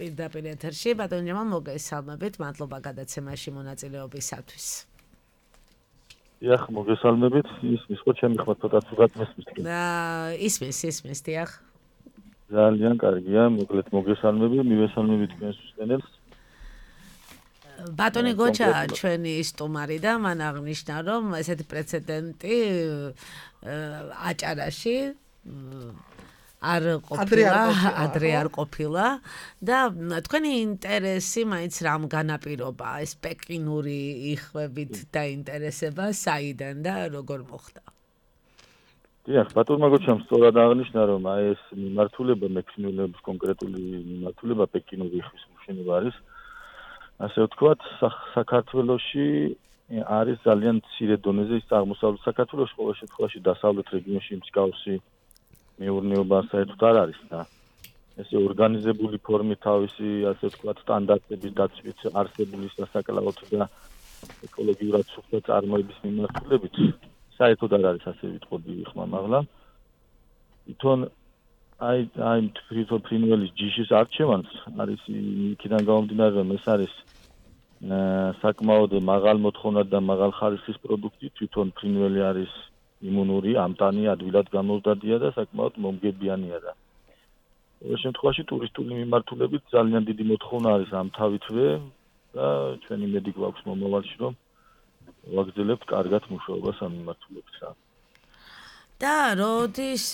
პირდაპირ ეთერში. ბატონი ჯემალ, მოგესალმებით, მადლობა გადაცემაში მონაწილეობისათვის. დიახ, მოგესალმებით, ისმის ხო ჩემი ხმა ცოტა ცუდად მესმის. ისმის, ისმის, დიახ. ძალიან კარგია, მოკლედ მოგესალმები, მივესალმებით თქვენს მსმენელს. ბატონი გოჩა ჩვენი სტუმარი და მან აღნიშნა რომ ესეთი პრეცედენტი აჭარაში არ ყოფილა, ადრე არ ყოფილა და თქვენი ინტერესი მაინც რამ განაპირობა ეს პეკინური იხვებით დაინტერესება საიდან და როგორ მოხდა? დიახ, ბატონმა გოჩამ სწორად აღნიშნა რომ აი ეს მიმართულება მექნიულების კონკრეტული მიმართულება პეკინური იხვის მოშენება არის. ასე ვთქვათ, საქართველოში არის ძალიან მცირე დონეზე ის აღმოსავლეთ საქართველოში, ყოველ შემთხვევაში დასავლეთ რეგიონში მსგავსი მეურნეობა საერთოდ არ არის და ესე ორგანიზებული ფორმით თავისი, ასე ვთქვათ, სტანდარტების დაცვით არსებული სასაკლაოდ და ეკოლოგიურად სუფთა წარმოების მიმართულებით საერთოდ არ არის ასე ვიტყოდი ხმამაღლა. თვითონ აი აი თვითონ ფრინველის ჯიშის არჩევანს არის იქიდან გამომდინარე რომ ეს არის საკმაოდ მაღალ მოთხოვნად და მაღალ ხარისხის პროდუქტი, თვითონ ფრინველი არის იმუნური, ამტანი, ადვილად გამოვდადია და საკმაოდ მომგებიანია და ყოველ შემთხვევაში ტურისტული მიმართულებით ძალიან დიდი მოთხოვნა არის ამ თავითვე და ჩვენი იმედი გვაქვს მომავალში რომ ვაგრძელებთ კარგად მუშაობას ამ მიმართულებით რა. და როდის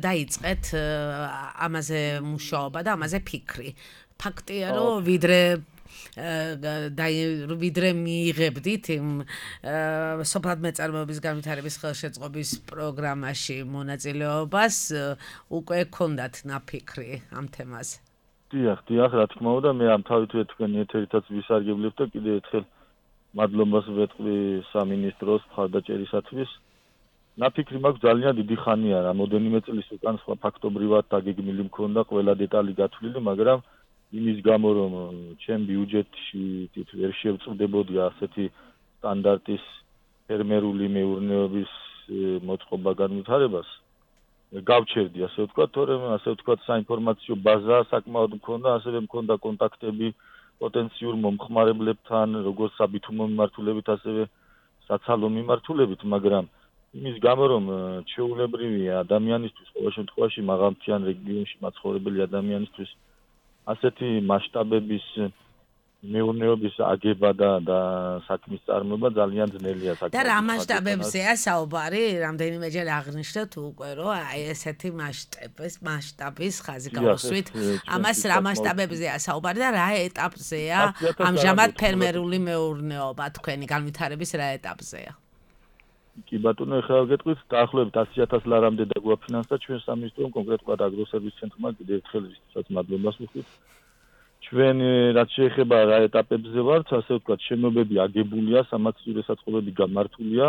დაიწყეთ ამაზე მუშაობა და ამაზე ფიქრი? ფაქტია რომ ვიდრე და ვიდრე მიიღებდით იმ სოფლად მეწარმეობის განვითარების ხელშეწყობის პროგრამაში მონაწილეობას, უკვე გქონდათ ნაფიქრი ამ თემაზე. დიახ, დიახ, რა თქმა უნდა, მე ამ თავითვე თქვენი ეთერითაც ვისარგებლებ და კიდევ ერთხელ მადლობას ვეთქვი სამინისტროს მხარდაჭერისათვის. ნაფიქრი მაქვს ძალიან დიდი ხანია, რამოდენიმე წლის უკან სხვა ფაქტობრივად დაგეგმილი მქონდა ყველა დეტალი გათვლილი, მაგრამ იმის გამო რომ ჩემ ბიუჯეტში ვერ შევწყვდებოდი ასეთი სტანდარტის ფერმერული მეურნეობის მოწყობა განვითარებას, გავჩერდი ასე ვთქვათ, თორემ ასე ვთქვათ საინფორმაციო ბაზა საკმაოდ მქონდა, ასევე მქონდა კონტაქტები პოტენციურ მომხმარებლებთან, როგორც საბითუმო მიმართულებით, ასევე საცალო მიმართულებით, მაგრამ იმის გამო რომ ჩვეულებრივია ადამიანისთვის ყოველ შემთხვევაში მაღალმთიან რეგიონში მაცხოვრებელი ადამიანისთვის ასეთი მასშტაბების მეურნეობის აგება და და საქმის წარმოება ძალიან ძნელია საკმაოდ. და რა მასშტაბებზეა საუბარი? რამდენიმეჯერ აღნიშნეთ უკვე რომ აი ესეთი მასშტაბის მასშტაბის ხაზი გავუსვით. ამას რა მასშტაბებზეა საუბარი და რა ეტაპზეა ამჟამად ფერმერული მეურნეობა თქვენი განვითარების რა ეტაპზეა? კი ბატონო, ეხლა გეტყვით, დაახლოებით ასი ათას ლარამდე დაგვაფინანსდა ჩვენ სამინისტრომ, კონკრეტულად აგროსერვის ცენტრმა, კიდევ ერთხელ ვისაც მადლობას ვუხდით. ჩვენ რაც შეეხება რა ეტაპებზე ვართ, ასე ვთქვათ, შენობები აგებულია, სამაცივრო საწყობები გამართულია.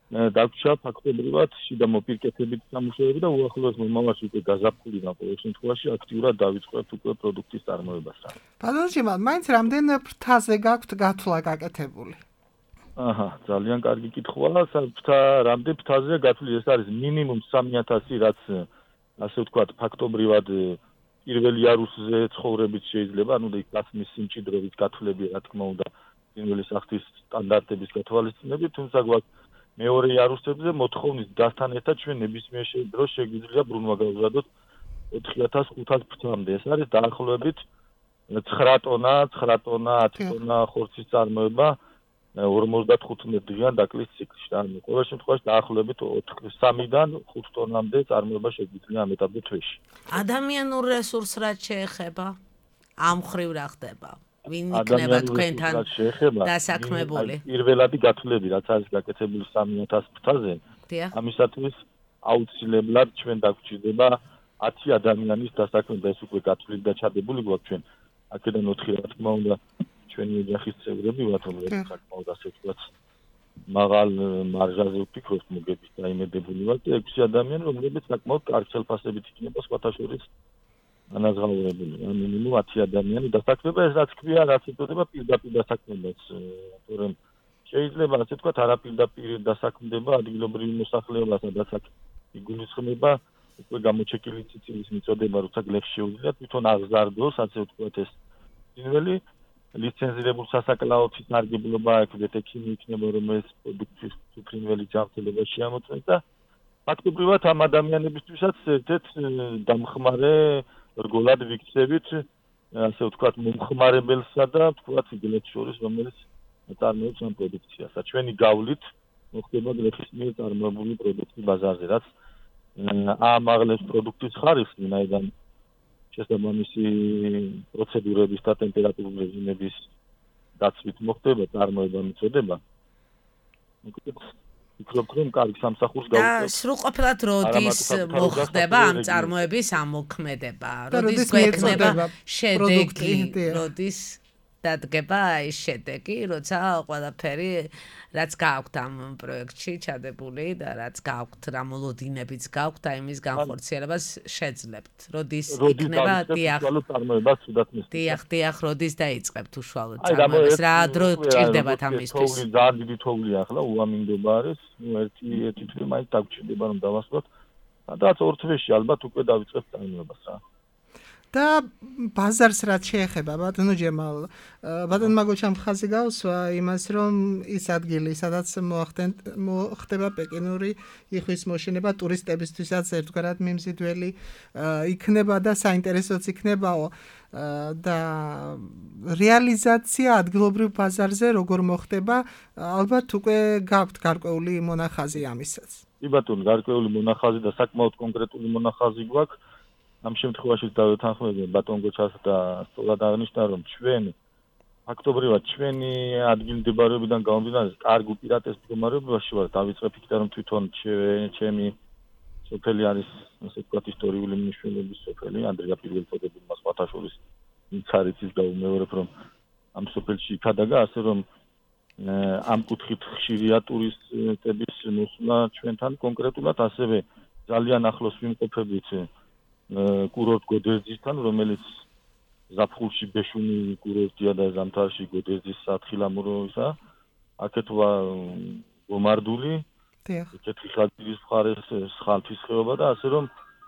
დაგვრჩა ფაქტობრივად შიდა მოპირკეთებით სამუშაოები და უახლოეს მომავალში უკვე გაზაფხულიდან ყოველ შემთხვევაში აქტიურად დავიწყებთ უკვე პროდუქტის წარმოებას. ბატონო ჭიმა, მაინც რამდენ ფრთაზე გაქვთ გათვლა გაკეთებული? აჰა, ძალიან კარგი კითხვაა. საფრთა რამდენ ფრთაზეა გათვლილი? ეს არის მინიმუმ სამი ათასი, რაც ასე ვთქვათ, ფაქტობრივად პირველი იარუსზე ცხოვრებით შეიძლება, ანუ და იქ გასმის სიმჭიდროვით გათვლები, რა თქმა უნდა, პირველი სახლის სტანდარტების გათვალისწინებით, თუმცა გვაქვს მეორე იარუსებზე მოთხოვნის დასთან ერთად ჩვენ ნებისმიერ დროს შეგვიძლია ბრუნვა გავუზადოთ ოთხი ათას ხუთას ფრთამდე. ეს არის დაახლოებით ცხრა ტონა, ცხრა ტონა, ათი ტონა ხორცის წარმოება ორმოცდათხუთმეტ დღიან დაკლის ციკლში. ანუ ყოველ შემთხვევაში დაახლოებით სამიდან ხუთ ტონამდე წარმოება შეგვიძლია ამ ეტაპზე თვეში. ადამიანურ რესურსს რაც შეეხება, ამ ხრივ რა ხდება? ვინ იქნება თქვენთან დასაქმებული? პირველადი გათვლები, რაც არის გაკეთებული სამი ათას ფრთაზე, ამისათვის აუცილებლად ჩვენ დაგვჭირდება ათი ადამიანის დასაქმება. ეს უკვე გათვლილი და ჩადებული გვაქვს ჩვენ. აქედან ოთხი რა თქმა უნდა ჩვენი ოჯახის წევრები ვართ, რომლებიც საკმაოდ ასე ვთქვათ მაღალ მარჟაზე ვფიქრობთ მოგებით დაიმედებული ვართ და ექვსი ადამიანი, რომლებიც საკმაოდ კარგ ხელფასებით იქნება სხვათა შორის განაზღაურებული. მინიმუმ ათი ადამიანი დასაქმება, ეს რაც ქვია, რაც იწოდება პირდაპირ დასაქმებას, თორემ შეიძლება ასე ვთქვათ არაპირდაპირ დასაქმდება ადგილობრივი მოსახლეობა, სადაც იგულისხმება უკვე გამოჩეკილი ციცილის მიწოდება, როცა გლეხს შეუძლიათ თვითონ აღზარდოს, ასე ვთქვათ ეს პირველი ლიცენზირებულ სასაკლაოთის ნარგებლობა აქ ვეთექიმი იქნება, რომელიც პროდუქტის ფრინველი ჯანმრთელობა შეამოწმებს და ფაქტობრივად ამ ადამიანებისთვისაც ერთ-ერთ დამხმარე რგოლად ვიქცევით, ასე ვთქვათ, მომხმარებელსა და ვთქვათ გლეხს შორის, რომელიც წარმოებს ამ პროდუქციას. ჩვენი გავლით მოხდება გლეხის მიერ წარმოებული პროდუქტი ბაზარზე, რაც ამაღლებს პროდუქტის ხარისხს, ვინაიდან შესაბამისი პროცედურების და ტემპერატურული რეჟიმების დაცვით მოხდება წარმოება მიწოდება. ვფიქრობ, რომ კარგი სამსახურს გავუწევთ. და სრულყოფილად როდის მოხდება ამ წარმოების ამოქმედება? როდის გვექნება შედეგი? როდის დადგება ის შედეგი, როცა ყველაფერი რაც გაქვთ ამ პროექტში ჩადებული და რაც გაქვთ რა მოლოდინებიც გაქვთ აი მის განხორციელებას შეძლებთ. როდის იქნება დიახ წარმოებას თუდად მის. დიახ, დიახ, როდის დაიწყებთ უშუალოდ წარმოებას? რა დრო ჭირდებათ ამისთვის? ძალიან დიდი თოვლია ახლა, უამინდობა არის. ნუ ერთი ერთი თვე მაინც დაგჭირდება რომ დავასრულოთ. სადაც ორ თვეში ალბათ უკვე დავიწყებთ წარმოებას რა. და ბაზარს რაც შეეხება, ბატონო ჯემალ, ბატონ მაგოჩამ ხაზი გავსვა იმას, რომ ის ადგილი, სადაც მოხდება პეკინური იხვის მოშენება ტურისტებისთვისაც ერთგვარად მიმზიდველი იქნება და საინტერესოც იქნებაო და რეალიზაცია ადგილობრივ ბაზარზე როგორ მოხდება, ალბათ უკვე გაქვთ გარკვეული მონახაზი ამისაც. კი ბატონო, გარკვეული მონახაზი და საკმაოდ კონკრეტული მონახაზი გვაქვს. ამ შემთხვევაში დავეთანხმები ბატონ გოჩას და სწორად აღნიშნა რომ ჩვენ ფაქტობრივად ჩვენი ადგილმდებარეობიდან გამომდინარე, კარგ უპირატეს მდგომარეობაში ვარ, დავიწყებ იქიდან რომ თვითონ ჩემი სოფელი არის, ასე ვთქვათ, ისტორიული მნიშვნელობის სოფელი, ანდრია პირველწოდებულმა სხვათა შორის ვინც არის ის გაუმეორებ, რომ ამ სოფელში იქადაგა, ასე რომ ამ კუთხით ხშირია ტურისტების მოსვლა ჩვენთან კონკრეტულად, ასევე ძალიან ახლოს ვიმყოფებით კურორტ გოდერძისთან, რომელიც ზაფხულში ბეშუნი კურორტია და ზამთარში გოდერძის სათხილამურო ისა. აქეთ ვარ გომარდული, იქეთი ხალხის მხარეს ხალხის ხეობა და ასე რომ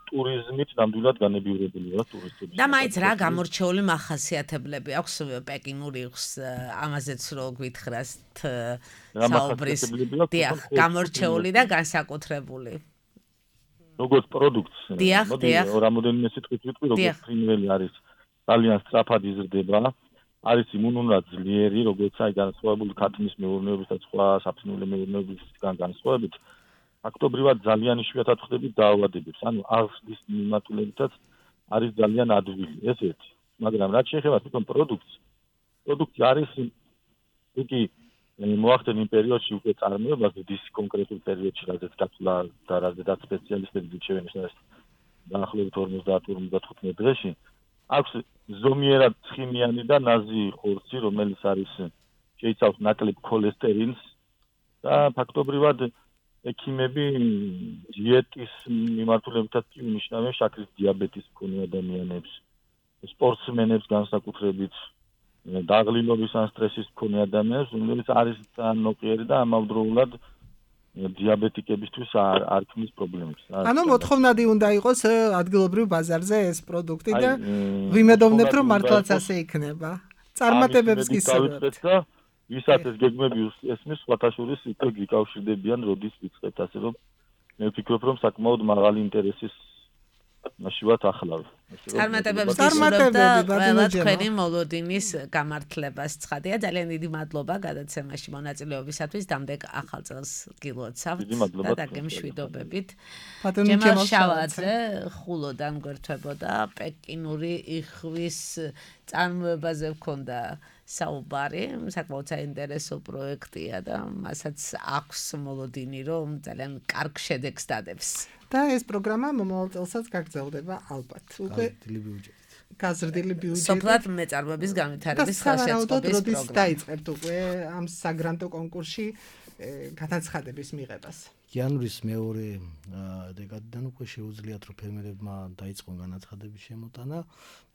ტურიზმით ნამდვილად განებიურებელია ტურისტები. და მაინც რა გამორჩეული მახასიათებლები აქვს პეკინური იხს ამაზეც რო გვითხრათ საუბრის. დიახ, გამორჩეული და განსაკუთრებული. როგორც პროდუქტს. მოდი რამოდენიმე სიტყვით ვიტყვი, როგორც ფრინველი არის ძალიან სწრაფად იზრდება. არის იმუნურად ძლიერი, როგორც აი განსხვავებული ქათმის მეურნეობის და სხვა საფრინველე მეურნეობისგან განსხვავებით. ფაქტობრივად ძალიან იშვიათად ხდებით დაავადებებს. ანუ აღზრდის მიმართულებითაც არის ძალიან ადვილი, ეს ერთი. მაგრამ რაც შეეხება თვითონ პროდუქტს, პროდუქტი არის იგი მოახდენ იმ პერიოდში უკვე წარმოებას, ის კონკრეტულ პერიოდში, რადგან გაცვლა და რადგან სპეციალისტები შეგვენიშნეს დაახლოებით ორმოცდაათ ორმოცდათხუთმეტ დღეში. აქვს ზომიერად ცხიმიანი და ნაზი ხორცი, რომელიც არის შეიცავს ნაკლებ ქოლესტერინს და ფაქტობრივად ექიმები დიეტის მიმართულებითაც კი უნიშნავენ შაქრის დიაბეტის მქონე ადამიანებს, სპორტსმენებს განსაკუთრებით, დაღლილობის ან სტრესის მქონე ადამიანებს, რომელიც არის ძალიან ნოყიერი და ამავდროულად დიაბეტიკებისთვის არ არ ქმნის პრობლემებს. ანუ მოთხოვნადი უნდა იყოს ადგილობრივ ბაზარზე ეს პროდუქტი და ვიმედოვნებთ რომ მართლაც ასე იქნება. წარმატებებს გისურვებთ. ვისაც ეს გეგმები ესმის, სხვათა შორის იქ გიკავშირდებიან, როდის ვიწყებთ, ასე რომ მე ვფიქრობ, რომ საკმაოდ მაღალი ინტერესის მაშინ ვართ ახლავ. წარმატებებს გისურვებთ და ყველა თქვენი მოლოდინის გამართლებას. ცხადია, ძალიან დიდი მადლობა გადაცემაში მონაწილეობისათვის. დამდეგ ახალ წელს გილოცავთ და დაგემშვიდობებით. ჯემალ შავაძე ხულოდან გვერდებოდა პეკინური იხვის წარმოებაზე ჰქონდა საუბარი, საკმაოდ საინტერესო პროექტია და მასაც აქვს მოლოდინი, რომ ძალიან კარგ შედეგს დადებს. და ეს პროგრამა მომავალ წელსაც გაგრძელდება ალბათ. უკვე გაზრდილი ბიუჯეტი. სოფლად მეწარმოების განვითარების ხელშეწყობის პროგრამა. დაიწყებთ უკვე ამ საგრანტო კონკურსში განაცხადების მიღებას. იანვრის მეორე დეკადიდან უკვე შეუძლიათ რომ ფერმერებმა დაიწყონ განაცხადების შემოტანა.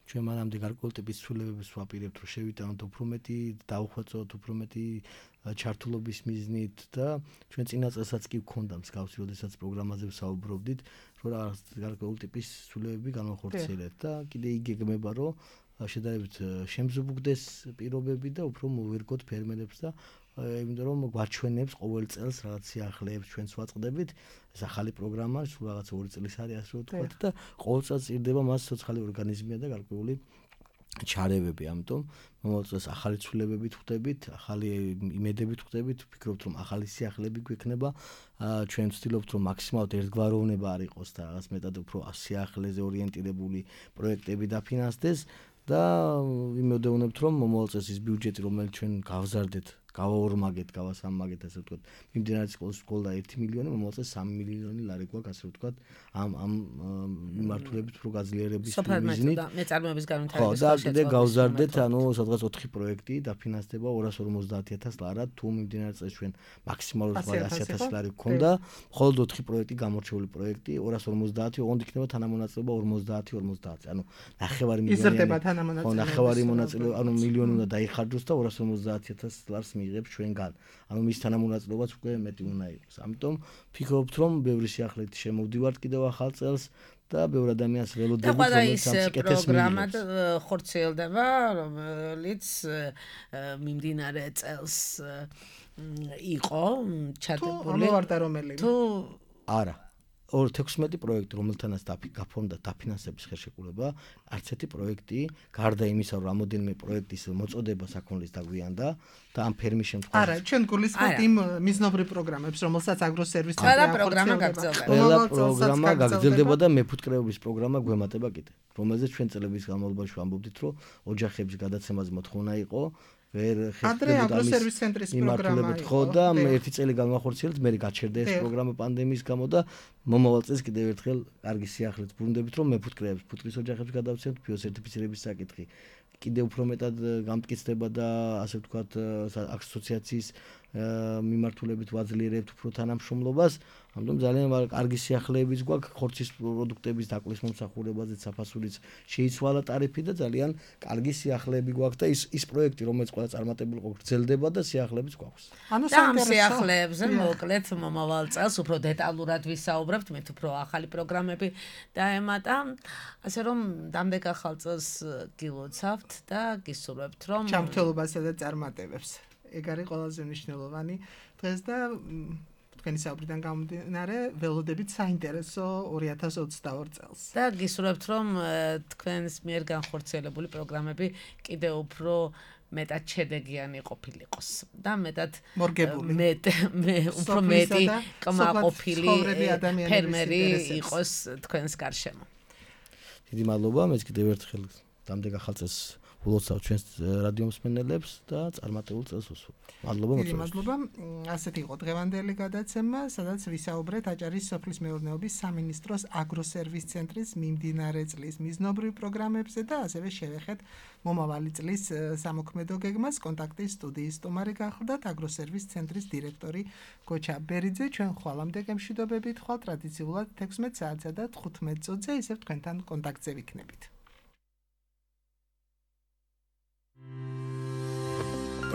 ჩვენ მანამდე გარკვეული ტიპის ცვლილებებს ვაპირებთ, რომ შევიტანოთ უფრო მეტი, დავხვეწოთ უფრო მეტი ჩართულობის მიზნით და ჩვენ წინა წელსაც კი ვქონდა მსგავსი, როდესაც პროგრამაზე ვსაუბრობდით, რომ რაღაც გარკვეული ტიპის ცვლილებები განვახორციელებთ და კიდე იგეგმება, რომ შედარებით შემზუბუქდეს პირობები და უფრო მოვერგოთ ფერმერებს და იმიტომ რომ გვაჩვენებს ყოველ წელს რაღაც სიახლეებს ჩვენს ვაწყდებით, ეს ახალი პროგრამა, სულ რაღაც ორი წლის არის ასე ვთქვათ და ყოველ წელს ირდება მას სოციალური ორგანიზმია და გარკვეული ჩარევები, ამიტომ მომავალ წელს ახალი ცვლილებებით ვხდებით, ახალი იმედებით ვხდებით, ვფიქრობთ რომ ახალი სიახლეები გვექნება, ჩვენ ვცდილობთ რომ მაქსიმალურად ერთგვაროვნება არ იყოს და რაღაც მეტად უფრო სიახლეზე ორიენტირებული პროექტები დაფინანსდეს და ვიმედოვნებთ რომ მომავალ წელს ის ბიუჯეტი რომელიც ჩვენ გავზარდეთ გავაორმაგეთ, გავასამაგეთ, ასე ვთქვათ, მიმდინარე სკოლის სკოლა ერთი მილიონი, მომავალ წელს სამი მილიონი ლარი გვაქვს, ასე ვთქვათ, ამ ამ მიმართულებით უფრო გაძლიერების მიზნით. მეწარმოების განვითარების ხო, და კიდე გავზარდეთ, ანუ სადღაც ოთხი პროექტი დაფინანსდება ორას ორმოცდაათი ათას ლარად, თუ მიმდინარე წელს ჩვენ მაქსიმალურად ასი ათასი ლარი გქონდა, მხოლოდ ოთხი პროექტი გამორჩეული პროექტი, ორას ორმოცდაათი, ოღონდ იქნება თანამონაწილეობა ორმოცდაათი ორმოცდაათზე, ანუ ნახევარი მილიონი. იზრდება თანამონაწილეობა. ხო, ნახევარი მონაწილეობა, ანუ მილიონი უნდა დაიხარჯოს და ორას ორმოცდაათი ათას ლარს იღებს ჩვენგან. ანუ მის თანამონაწილეობაც უკვე მეტი უნდა იყოს. ამიტომ ვფიქრობთ, რომ ბევრი სიახლეით შემოვდივართ კიდევ ახალ წელს და ბევრი ადამიანს ველოდებით, რომელიც ამ სიკეთეს პროგრამად ხორციელდება, რომელიც მიმდინარე წელს იყო ჩადებული. თუ ამოვარდა რომელი? თუ არა. ორ თექვსმეტი პროექტი, რომელთანაც გაფორმდა დაფინანსების ხელშეკრულება, არც ერთი პროექტი, გარდა იმისა, რომ რამოდენიმე პროექტის მოწოდება საქონლის დაგვიანდა და ამ ფერმის შემთხვევაში. არა, ჩვენ გულისხმობთ იმ მიზნობრივ პროგრამებს, რომელსაც აგროსერვისი ყველა პროგრამა გაგრძელდება. ყველა პროგრამა გაგრძელდება და მეფუტკრეობის პროგრამა გვემატება კიდე, რომელზეც ჩვენ წლების განმავლობაში ვამბობდით, რომ ოჯახების გადაცემაზე მოთხოვნა იყო. ვერ ადრე აგროსერვის ცენტრის პროგრამა იყო. ხო და მე ერთი წელი განვახორციელეთ, მე გაჩერდა ეს პროგრამა პანდემიის გამო და მომავალ წელს კიდევ ერთხელ კარგი სიახლეც ბრუნდებით, რომ მეფუტკრეებს, ფუტკრის ოჯახებს გადავცემთ ბიოსერტიფიცირების საკითხი. კიდევ უფრო მეტად გამტკიცდება და ასე ვთქვათ ასოციაციის მიმართულებით ვაძლიერებთ უფრო თანამშრომლობას. ამიტომ ძალიან კარგი სიახლეებიც გვაქვს ხორცის პროდუქტების დაკვლის მომსახურებაზე, საფასურიც შეიცვალა ტარიფი და ძალიან კარგი სიახლეები გვაქვს და ის ის პროექტი, რომელიც ყველა წარმატებული იყო, გრძელდება და სიახლეებიც გვაქვს. ანუ ამ სიახლეებზე მოკლედ მომავალ წელს უფრო დეტალურად ვისაუბრებთ, მე უფრო ახალი პროგრამები დაემატა, ასე რომ დამდეგ ახალ წელს გილოცავთ და გისურვებთ, რომ ჯანმრთელობასა და წარმატებებს. ეგ არის ყველაზე მნიშვნელოვანი დღეს და თქვენი საუბრიდან გამომდინარე ველოდებით საინტერესო ორი ათას ოცდაორი წელს. და გისურვებთ, რომ თქვენს მიერ განხორციელებული პროგრამები კიდევ უფრო მეტად შედეგიანი ყოფილიყოს და მეტად მეტ მე უფრო მეტი კმაყოფილი ფერმერი იყოს თქვენს გარშემო. დიდი მადლობა, მეც კიდევ ერთხელ დამდეგ ახალ წელს ულოცავ ჩვენს რადიო მსმენელებს და წარმატებულ წელს უსურვებ. მადლობა მოწვევისთვის. დიდი მადლობა. ასეთი იყო დღევანდელი გადაცემა, სადაც ვისაუბრეთ აჭარის სოფლის მეურნეობის სამინისტროს აგროსერვის ცენტრის მიმდინარე წლის მიზნობრივ პროგრამებზე და ასევე შევეხეთ მომავალი წლის სამოქმედო გეგმას. კონტაქტის სტუდიის სტუმარი გახლდათ აგროსერვის ცენტრის დირექტორი გოჩა ბერიძე. ჩვენ ხვალამდე გემშვიდობებით, ხვალ ტრადიციულად თექვსმეტ საათსა და თხუთმეტ წუთზე ისევ თქვენთან კონტაქტზე ვიქნებით.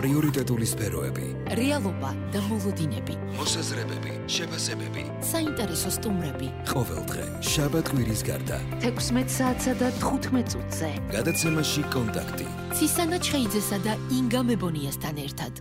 პრიორიტეტული სფეროები, რეალობა და მოლოდინები, მოსაზრებები, შეფასებები, საინტერესო სტუმრები. ყოველდღე შაბათ კვირის გარდა თექვსმეტ საათსა და თხუთმეტ წუთზე გადაცემაში კონტაქტი. ცისანა ჩხეიძესა და ინგა მებონიასთან ერთად.